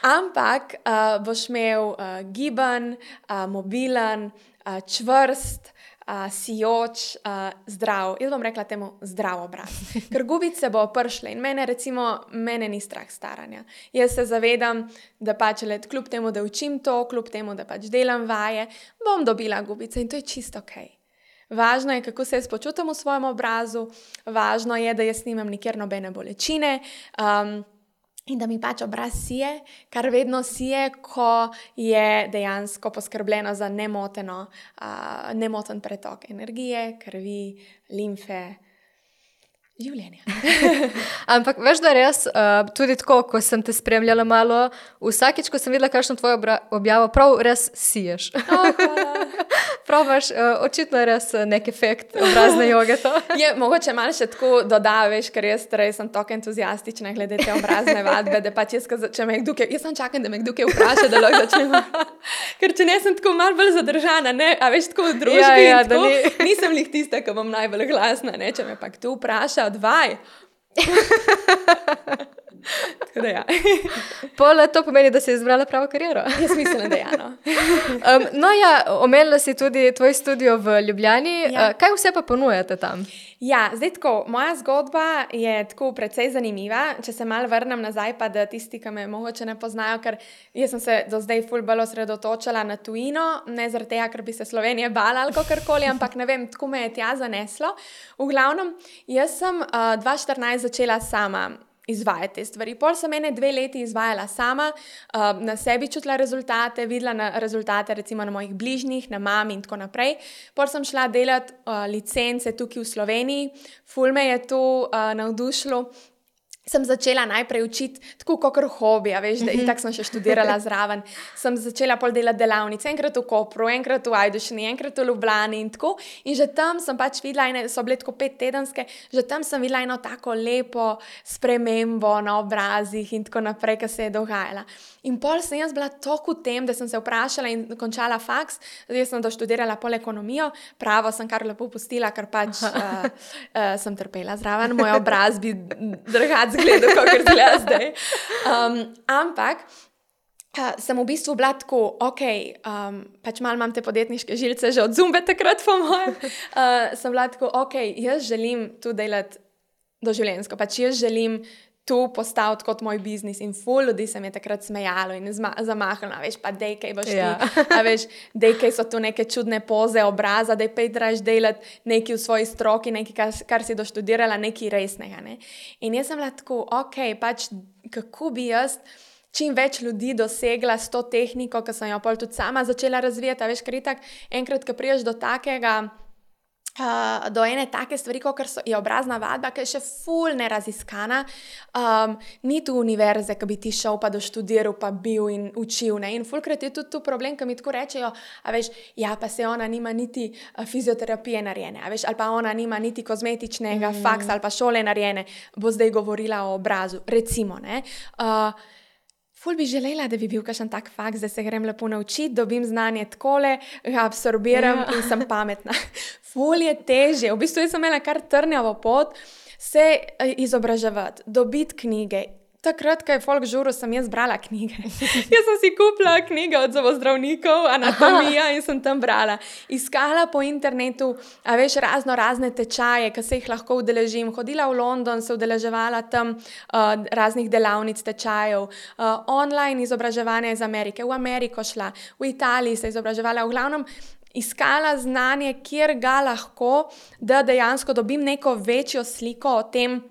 ampak uh, boš imel uh, giban, uh, mobilen, uh, čvrst, uh, sijoč, uh, zdrav, jaz bom rekla temu zdrav obraz. Ker gubice bo prišle in mene, recimo, mene ni strah staranja. Jaz se zavedam, da pač let, kljub temu, da učim to, kljub temu, da pač delam vaje, bom dobila gubice in to je čisto ok. Važno je, kako se jaz počutim v svojem obrazu, važno je, da jaz nimam nikjer nobene bolečine um, in da mi pač obraz sije, kar vedno sije, ko je dejansko poskrbljeno za nemoteno, uh, nemoten pretok energije, krvi, limfe, življenja. Ampak veš, da res, uh, tudi tako, ko sem te spremljala malo, vsakič, ko sem videla kakšno tvojo obra- objavo, prav res siješ. Oh, hvala. Prav imaš uh, očitno res nek efekt obrazne joge to. Je mogoče malo še tako dodaveš, ker jaz torej sem tako entuzijastična glede te obrazne vadbe, da pač jaz, če me kdo kaj, jaz sem čakam, da me kdo kaj vpraša, da lahko začnemo. Ker če ne, sem tako malo bolj zadržana, ne, a veš, tako v družbi, ja, ja, tako, ni... nisem lih tista, ki bom najbolj glasna, ne, če me pa kdo vpraša, odvaj. Tako da ja. Pol to pomeni, da si izbrala pravo kariero. Jaz mislim, da ja, no. um, no ja, omenila si tudi tvoj studio v Ljubljani. Ja. Uh, kaj vse pa ponujate tam? Ja, zdaj tako, moja zgodba je tako precej zanimiva. Če se malo vrnem nazaj, pa da tisti, ki me mogoče ne poznajo, ker jaz sem se do zdaj ful bolj osredotočala na tujino, ne zaradi tega, ker bi se Slovenije bala ali kakorkoli, ampak ne vem, tako me je tja zaneslo. V glavnem, jaz sem uh, dva tisoč štirinajst začela sama izvajati te stvari. Pol sem ene dve leti izvajala sama, uh, na sebi čutila rezultate, videla na rezultate recimo na mojih bližnjih, na mami in tako naprej. Pol sem šla delati uh, licence tukaj v Sloveniji, ful me je to uh, navdušilo. Sem začela najprej učiti tako kakor hobi, a veš, da mm-hmm. itak sem še študirala zraven. Sem začela pol delati delavnice, enkrat v Kopru, enkrat v Ajdovščini, enkrat v Ljubljani in tako. In že tam sem pač videla, ene, so bile tako pet tedenske, že tam sem videla eno tako lepo spremembo na obrazih in tako naprej, kar se je dogajala. In pol sem jaz bila toliko v tem, da sem se vprašala in končala faks, zdaj sem doštudirala pol ekonomijo, pravo sem kar lepo pustila, ker pač uh, uh, sem trpela zraven, moj obraz bi drugače zgledal, kakor zgleda zdaj. Um, ampak uh, sem v bistvu bila tako, ok, um, pač malo imam te podjetniške žilce že od Zumbe takrat po mojem, uh, sem bila tako, ok, jaz želim tu delati doživljenjsko, pač jaz želim tu postaviti kot moj biznis in ful ljudi se mi je takrat smejalo in zma- zamahalo, a veš, pa dej, kaj boš ja. ti, a veš, dej, kaj so tu neke čudne poze obraza, dej, pej traš delati nekaj v svoji stroki, nekaj, kar, kar si doštudirala, nekaj resnega, ne. In jaz sem bila tako, ok, pač, kako bi jaz čim več ljudi dosegla s to tehniko, ki sem jo pol tudi sama začela razvijati, a veš, ker itak, enkrat, ko priješ do takega, Uh, do ene take stvari, kot je obrazna vadba, ki je še ful neraziskana, um, ni tu univerze, ki bi ti šel pa doštudiral, pa bil in učil, ne, in fulkrat je tudi tu problem, ki mi tako rečejo, a veš, ja, pa se ona nima niti uh, fizioterapije narejene, a veš, ali pa ona nima niti kozmetičnega mm. faksa ali pa šole narejene, bo zdaj govorila o obrazu, recimo, ne, uh, ful bi želela, da bi bil kakšen tak faks, da se grem lepo naučiti, dobim znanje takole, ga absorbiram ja. in sem pametna. Ful je težje. V bistvu jaz sem imela kar trnjavo pot se izobraževati, dobiti knjige, Takrat, ko je folk žuril, sem jaz brala knjige. Jaz sem si kupila knjige od zobozdravnikov, anatomija in sem tam brala. Iskala po internetu, a veš, razno razne tečaje, ki se jih lahko udeležim. Hodila v London, se udeleževala tam uh, raznih delavnic tečajev. Uh, online izobraževanje iz Amerike, v Ameriko šla, v Italiji se izobraževala. V glavnem iskala znanje, kjer ga lahko, da dejansko dobim neko večjo sliko o tem,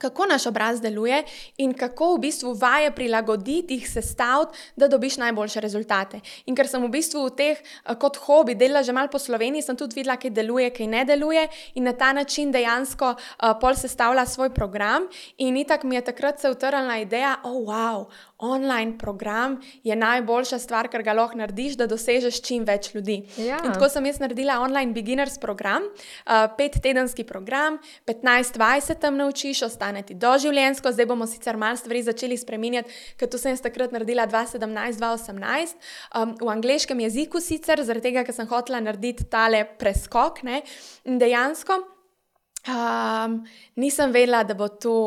kako naš obraz deluje in kako v bistvu vaje prilagoditi, jih sestaviti, da dobiš najboljše rezultate. In ker sem v bistvu v teh kot hobi delala že malo po Sloveniji, sem tudi videla, kaj deluje, kaj ne deluje in na ta način dejansko uh, pol sestavila svoj program in itak mi je takrat se utrnila ideja, oh wow, online program je najboljša stvar, kar ga lahko narediš, da dosežeš čim več ljudi. Ja. In tako sem jaz naredila online beginners program, uh, pettedenski program, petnajst dvajset tam naučiš, ostane ti doživljenjsko, zdaj bomo sicer malo stvari začeli spreminjati, ker to sem jaz takrat naredila dva tisoč sedemnajst dva tisoč osemnajst, um, v angleškem jeziku sicer, zaradi tega, ker sem hotela narediti tale preskok, ne, in dejansko um, nisem vedela, da bo to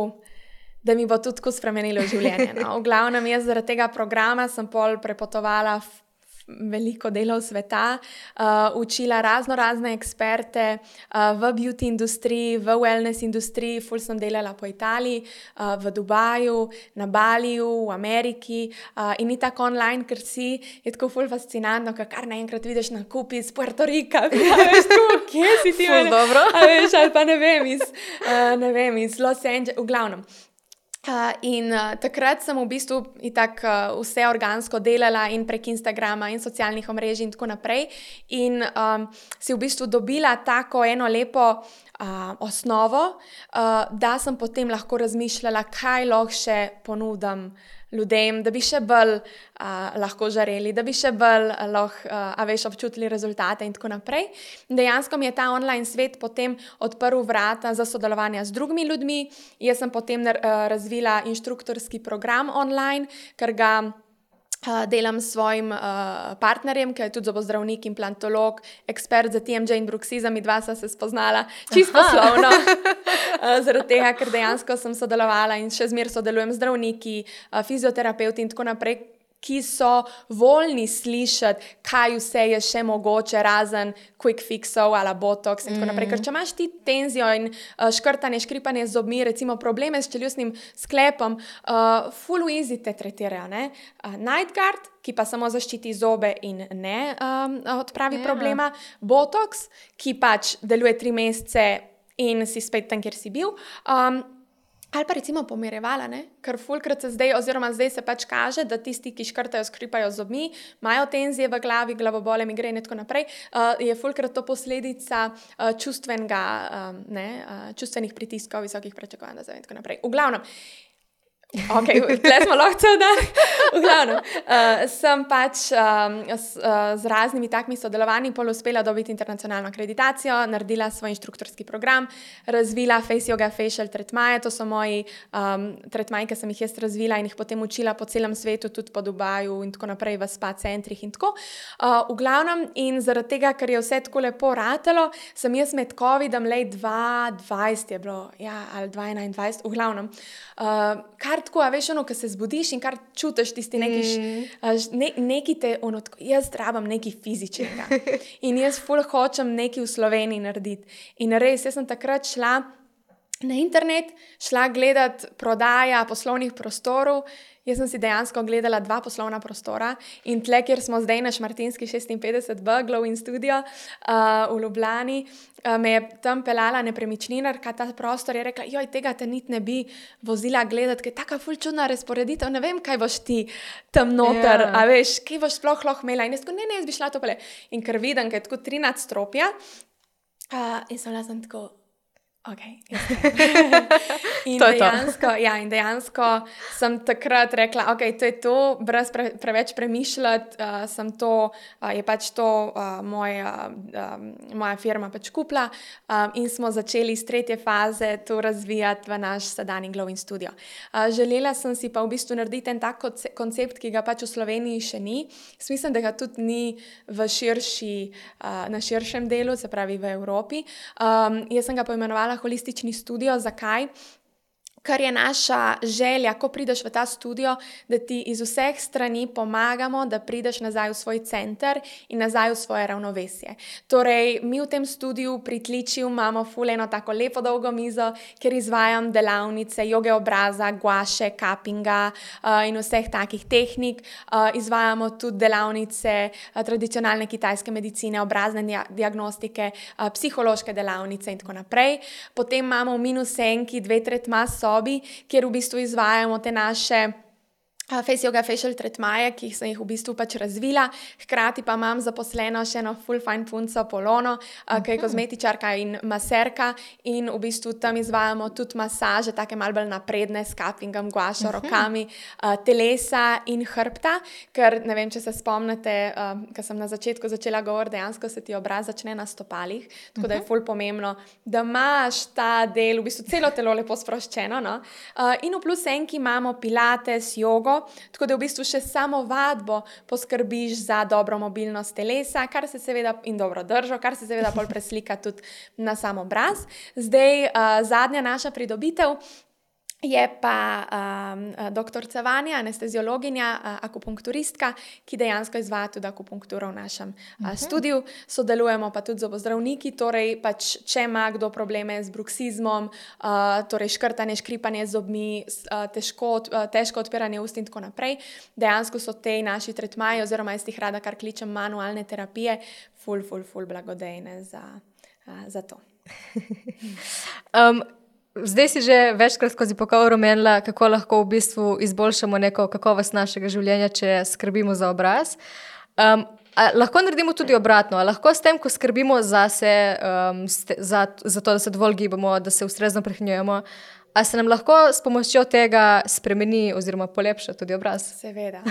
da mi bo tudi tako spremenilo življenje. No. V glavnem, jaz zaradi tega programa sem pol prepotovala veliko delov sveta, uh, učila razno razne eksperte uh, v beauty industriji, v wellness industriji, ful sem delala po Italiji, uh, v Dubaju, na Baliju, v Ameriki uh, in ni tako online, ker si je tako ful fascinantno, ker kar naenkrat vidiš nakupi iz Puerto Rika, veš, tako, kje si ti? Ful dobro. A veš, ali pa ne vem, iz, uh, ne vem, iz Los Angeles, v glavnem. Uh, in uh, takrat sem v bistvu itak uh, vse organsko delala in prek Instagrama in socialnih omrežij in tako naprej in um, si v bistvu dobila tako eno lepo uh, osnovo, uh, da sem potem lahko razmišljala, kaj lahko še ponudim ljudem, da bi še bolj uh, lahko žareli, da bi še bolj uh, lahko, uh, a veš, občutili rezultate in tako naprej. Dejansko mi je ta online svet potem odprl vrata za sodelovanje z drugimi ljudmi. Jaz sem potem uh, razvila inštruktorski program online, ker ga uh, delam s svojim uh, partnerjem, ki je tudi zobozdravnik, implantolog, ekspert za T M J in bruksizem, in dva sva se spoznala čisto poslovno. Uh, zaradi tega, ker dejansko sem sodelovala in še zmeraj sodelujem z zdravniki, uh, fizioterapeuti in tako naprej, ki so voljni slišati, kaj vse je še mogoče, razen quick fixov ali botox in tako naprej. Ker če imaš ti tenzijo in uh, škrtanje, škripanje z zobmi, recimo probleme s čeljustnim sklepom, uh, full easy te tretirajo, ne? Uh, Night Guard, ki pa samo zaščiti zobe in ne um, odpravi yeah. problema, botox, ki pač deluje tri mesece in si spet tam, kjer si bil. Um, ali pa recimo pomirevala, ne? Ker fulkrat se zdaj, oziroma zdaj se pač kaže, da tisti, ki škrtajo, skripajo zobmi, imajo tenzije v glavi, glavobole, migrene in tako naprej, uh, je fulkrat to posledica uh, čustvenega, um, ne, uh, čustvenih pritiskov, visokih pričakovanj in tako naprej. V glavnem, ok, tle smo lahko cel dan. V glavnem, uh, sem pač um, s, uh, z raznimi takimi sodelovanji pol uspela dobiti internacionalno akreditacijo, naredila svoj inštruktorski program, razvila face yoga facial tretmaje, to so moji um, tretmaji, ki sem jih jaz razvila in jih potem učila po celem svetu, tudi po Dubaju in tako naprej v spa centrih in tako. Uh, v glavnem, in zaradi tega, ker je vse tako lepo ratalo, sem jaz med covidom lej dva tisoč dvajset je bilo, ja, ali dva tisoč enaindvajset, v glavnem, uh, kar tako, a veš, ono, ko se zbudiš in kar čutiš tisti neki, mm. ne, neki te, ono, tako, jaz rabam neki fizičnega in jaz ful hočem neki v Sloveniji narediti. In res, jaz sem takrat šla na internet, šla gledat prodaja poslovnih prostorov. Jaz sem si dejansko gledala dva poslovna prostora in tle, kjer smo zdaj na Šmartinski šestinpetdeset B, Glow in Studio uh, v Ljubljani, uh, me je tam pelala nepremičninarka, ta prostor je rekla, joj, tega te niti ne bi vozila gledat, ker je taka ful čudna razporeditev, ne vem, kaj boš ti tam noter, yeah. a veš, kaj boš sploh lahko imela. In jaz tako, ne, ne, jaz bi šla to pele. In ker vidim, ker je tako tri nadstropja, uh, in sem bila sem tako, ok, in, to dejansko, ja, in dejansko sem takrat rekla, ok, to je to, brez pre, preveč premišljati, uh, sem to, uh, je pač to uh, moja, uh, moja firma pač kupila um, in smo začeli iz tretje faze to razvijati v naš sedanji Glow in Studio. Uh, želela sem si pa v bistvu narediti en tak koncept, ki ga pač v Sloveniji še ni. Mislim, da ga tudi ni v širši, uh, na širšem delu, se pravi v Evropi. Um, jaz sem ga poimenovala holistični studio. Zakaj? kar je naša želja, ko prideš v ta studio, da ti iz vseh strani pomagamo, da prideš nazaj v svoj center in nazaj v svoje ravnovesje. Torej, mi v tem studiu pri Tličiju imamo ful eno tako lepo dolgo mizo, kjer izvajam delavnice joge obraza, guaše, kapinga uh, in vseh takih tehnik. Uh, izvajamo tudi delavnice uh, tradicionalne kitajske medicine, obrazne dia- diagnostike, uh, psihološke delavnice in tako naprej. Potem imamo v minus enki dve tretma sobi, kjer v bistvu izvajamo te naše uh, face yoga, facial tretmaje, ki sem jih v bistvu pač razvila. Hkrati pa imam zaposleno še eno full fine punco Polono, uh, ki je kozmetičarka in maserka in v bistvu tam izvajamo tudi masaže, take malo bolj napredne s cuppingom, guašo, rokami, uh, telesa in hrbta, ker ne vem, če se spomnite, uh, ker sem na začetku začela govoriti, dejansko se ti obraz začne na stopalih, tako da je ful pomembno, da imaš ta del, v bistvu celo telo lepo sproščeno, no? Uh, in v plus enki imamo pilates, jogo, tako da v bistvu še samo vadbo poskrbiš za dobro mobilnost telesa, kar se seveda in dobro držo, kar se seveda pol preslika tudi na sam obraz. Zdaj, uh, zadnja naša pridobitev je pa um, doktorica Vanja, anesteziologinja, uh, akupunkturistka, ki dejansko izvaja tudi akupunkturo v našem uh, studiu. Sodelujemo pa tudi z zobozdravniki, torej pač, če ima kdo probleme z bruksizmom, uh, torej škrtanje, škripanje z zobmi, uh, težko, uh, težko odpiranje ust in tako naprej. Dejansko so te naši tretmaji, oziroma jaz jih rada kar kličem manualne terapije, ful, ful, ful blagodejne za, uh, za to. um, Zdaj si že večkrat skozi pogovor omenila, kako lahko v bistvu izboljšamo neko kakovost našega življenja, če skrbimo za obraz. Um, a lahko naredimo tudi obratno, a lahko s tem, ko skrbimo zase, um, za, za to, da se dovolj gibamo, da se ustrezno prehranjujemo, a se nam lahko s pomočjo tega spremeni oziroma polepša tudi obraz? Seveda,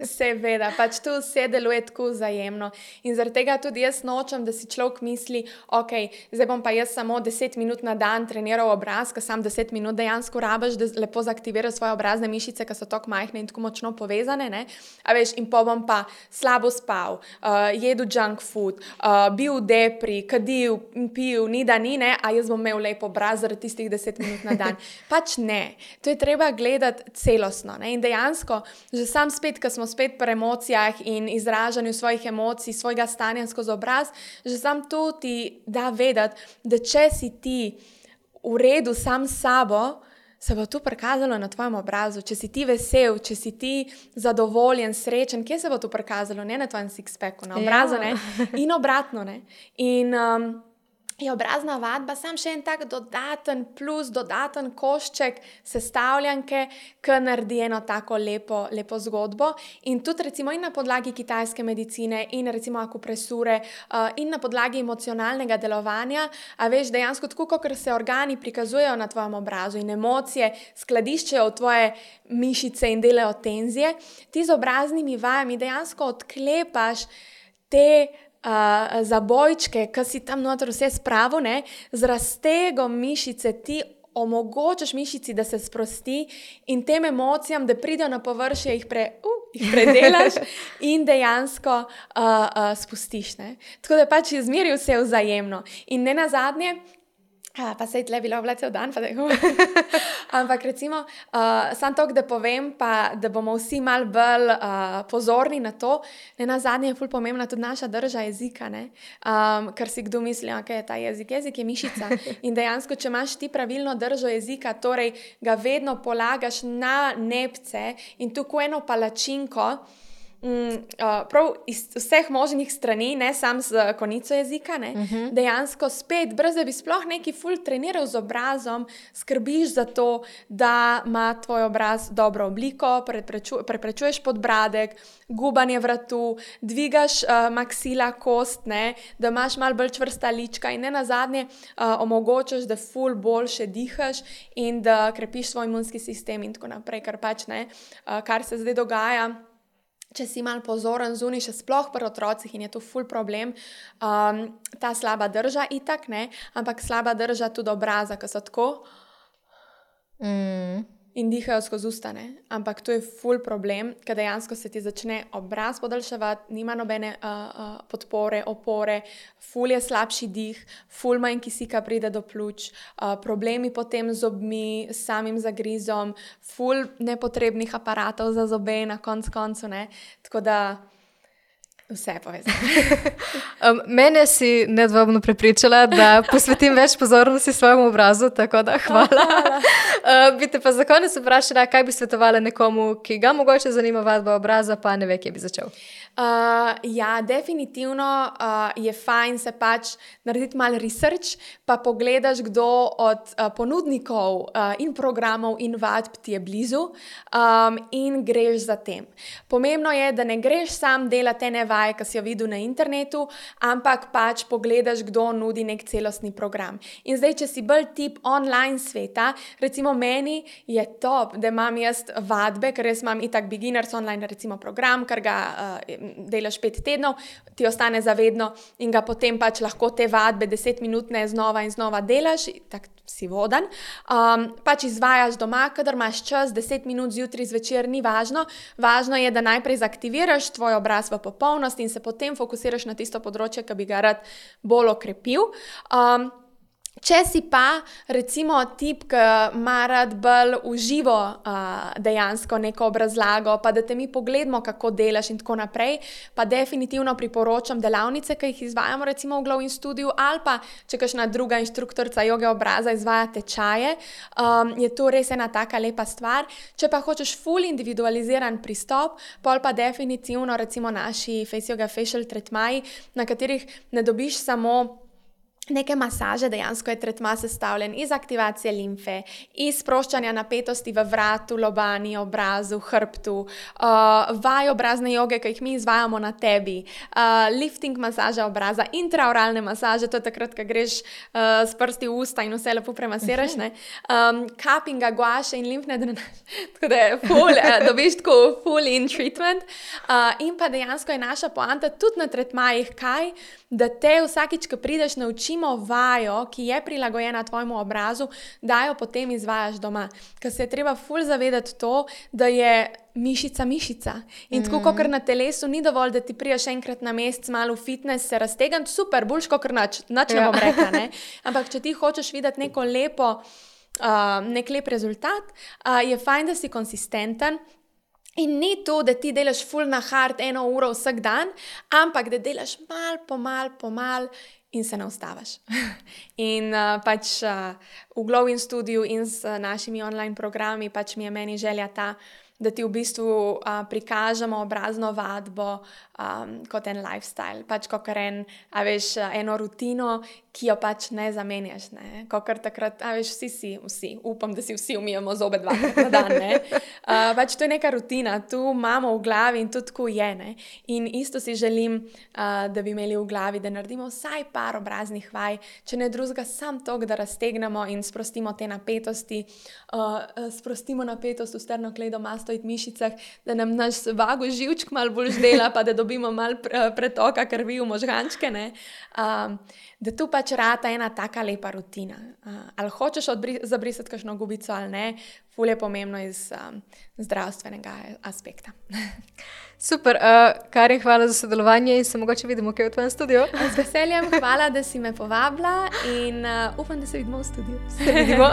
seveda, pač tu vse deluje tako vzajemno in zaradi tega tudi jaz nočem, da si človek misli, ok, zdaj bom pa jaz samo deset minut na dan treniral obraz, ker sam deset minut dejansko rabiš, da lepo zaaktiviraš svoje obrazne mišice, ki so tako majhne in tako močno povezane, ne? A veš, in pa bom pa slabo spal, uh, jedel junk food, uh, bil v depri, kadil, pil, ni da ni, ne, a jaz bom imel lep obraz zaradi tistih deset minut na dan. Pač ne, to je treba gledati celostno, ne? In dejansko, že sam spet, ko smo spet pri emocijah in izražanju svojih emocij, svojega stanja skozi obraz, že sam to ti da vedeti, da če si ti v redu sam s sabo, se bo to prikazalo na tvojem obrazu. Če si ti vesel, če si ti zadovoljen, srečen, kje se bo to prikazalo? Ne na tvojem six-packu, na obrazu, ja. Ne? In obratno, ne? In um, je obrazna vadba sam še en tak dodaten plus, dodaten košček sestavljanke, ki naredi eno tako lepo, lepo zgodbo. In tudi recimo in na podlagi kitajske medicine in recimo akupresure uh, in na podlagi emocionalnega delovanja, a veš, dejansko tako, kot se organi prikazujejo na tvojem obrazu in emocije skladiščejo v tvoje mišice in delajo tenzije, ti z obraznimi vajami dejansko odklepaš te Uh, zabojčke, ki si tam noter vse spravo, ne, z raztegom mišice ti omogočaš mišici, da se sprosti in tem emocijam, da pridejo na površje, jih, pre, uh, jih predelaš in dejansko uh, uh, spustiš. Ne. Tako da pač izmeri vse vzajemno. In ne nazadnje, uh, pa se je tle bilo vle cel dan, pa da je ampak recimo, uh, sam tok, da povem, pa da bomo vsi malo bolj uh, pozorni na to, ne nazadnje je ful pomembna tudi naša drža jezika, ne? Um, ker si kdo misli, ok, je ta jezik, jezik je mišica in dejansko, če imaš ti pravilno držo jezika, torej ga vedno polagaš na nepce in tukaj eno palačinko, Mm, uh, prav iz vseh možnih strani, ne samo z konico jezika, ne, uh -huh. dejansko spet, brez da bi sploh neki ful treniral z obrazom, skrbiš za to, da ima tvoj obraz dobro obliko, prepreču, preprečuješ podbradek, gubanje vratu, dvigaš uh, maksila kost, ne, da imaš malo bolj čvrsta lička in ne nazadnje uh, omogočaš, da ful boljše dihaš in da krepiš svoj imunski sistem in tako naprej, kar pač ne, uh, kar se zdaj dogaja. Če si malo pozoren zunaj, še sploh pri otrocih in je to ful problem, um, ta slaba drža itak, ne, ampak slaba drža tudi obraza, ki so tako. Mm. in dihajo skozi usta, ne? Ampak to je ful problem, ker dejansko se ti začne obraz podaljševati, nima nobene uh, uh, podpore, opore, ful je slabši dih, ful manj kisika pride do pljuč, uh, problemi potem z zobmi, samim zagrizom, ful nepotrebnih aparatov za zobe na konc koncu, ne? Tako da vse je povezano. um, mene si nedvomno prepričala, da posvetim več pozornosti svojemu obrazu, tako da hvala. uh, bi te pa za konec vprašala, kaj bi svetovala nekomu, ki ga mogoče zanima vadba obraza, pa ne ve, kje bi začel. Uh, ja, definitivno uh, je fajn se pač narediti malo research, pa pogledaš, kdo od uh, ponudnikov uh, in programov in vadb ti je blizu um, in greš za tem. Pomembno je, da ne greš sam delati ene vaje, ki si jo videl na internetu, ampak pač pogledaš, kdo nudi nek celostni program. In zdaj, če si bolj tip online sveta, recimo meni je top, da imam jaz vadbe, ker jaz imam itak beginners online recimo program, ker ga uh, delaš pet tednov, ti ostane zavedno in ga potem pač lahko te vadbe deset minutne znova in znova delaš, tako si vodan. Um, pač izvajaš doma, kadar imaš čas, deset minut zjutraj, zvečer, ni važno. Važno je, da najprej zaktiviraš tvoj obraz v popolnosti in se potem fokusiraš na tisto področje, ki bi ga rad bolj okrepil. Um, Če si pa, recimo, tip, ki ima rad bolj v živo uh, dejansko neko obrazlago, pa da te mi pogledamo, kako delaš in tako naprej, pa definitivno priporočam delavnice, ki jih izvajamo recimo v Glow in Studiu, ali pa, če kakšna druga inštruktorica joge obraza izvaja tečaje, um, je to res ena taka lepa stvar. Če pa hočeš ful individualiziran pristop, pol pa definitivno recimo naši Face Yoga Facial tretmaji, na katerih ne dobiš samo neke masaže, dejansko je tretma sestavljen iz aktivacije limfe, iz sproščanja napetosti v vratu, lobani, obrazu, hrbtu, uh, vaj obrazne joge, ki jih mi izvajamo na tebi, uh, lifting masaža obraza, intraoralne masaže, to je takrat, ko greš uh, s prsti v usta in vse lepo premasiraš, ne? Um, cuppinga, guaše in limfne drenaže, tako da je full, uh, dobiš tako full in treatment. Uh, in pa dejansko je naša poanta tudi na tretmajih, kaj, da te vsakič, ko prideš, naučimo vajo, ki je prilagojena tvojemu obrazu, da jo potem izvajaš doma. Ker se je treba ful zavedati to, da je mišica mišica. In tako, mm. kot na telesu, ni dovolj, da ti priješ enkrat na mesec malo v fitness, se raztegant, super, boljš kot nač, nač ne bom rekla, ne? Ampak če ti hočeš videti neko lepo, uh, nek lep rezultat, uh, je fajn, da si konsistenten. In ni to, da ti delaš ful na hard eno uro vsak dan, ampak da delaš mal, pomal, pomal in se ne ustavaš. In uh, pač uh, v Glow in Studiu in s uh, našimi online programi pač mi je meni želja ta, da ti v bistvu uh, prikažemo obrazno vadbo um, kot en lifestyle, pač kot en, a veš, eno rutino, ki jo pač ne zamenjaš, ne, kot takrat, a veš, vsi si, vsi, upam, da si vsi umijemo zobe dvakrat na dan, ne, uh, pač to je neka rutina, tu imamo v glavi in to tako je, ne, in isto si želim, uh, da bi imeli v glavi, da naredimo vsaj par obraznih vaj, če ne drugega, sam tok, da raztegnemo in sprostimo te napetosti, uh, sprostimo napetost v sternokleidomastoid mišicah, da nam naš vago živčk malo bolj dela, pa da dobimo malo pretoka krvi v možgančke, ne, um, da tu pač rata ena taka lepa rutina. Uh, ali hočeš odbri- zabrisati kakšno gubico ali ne, ful je pomembno iz um, zdravstvenega aspekta. Super, uh, Karin, hvala za sodelovanje in se mogoče vidimo kaj v tvojem studiu. Z veseljem, hvala, da si me povabila in uh, upam, da se vidimo v studiu. Se vidimo.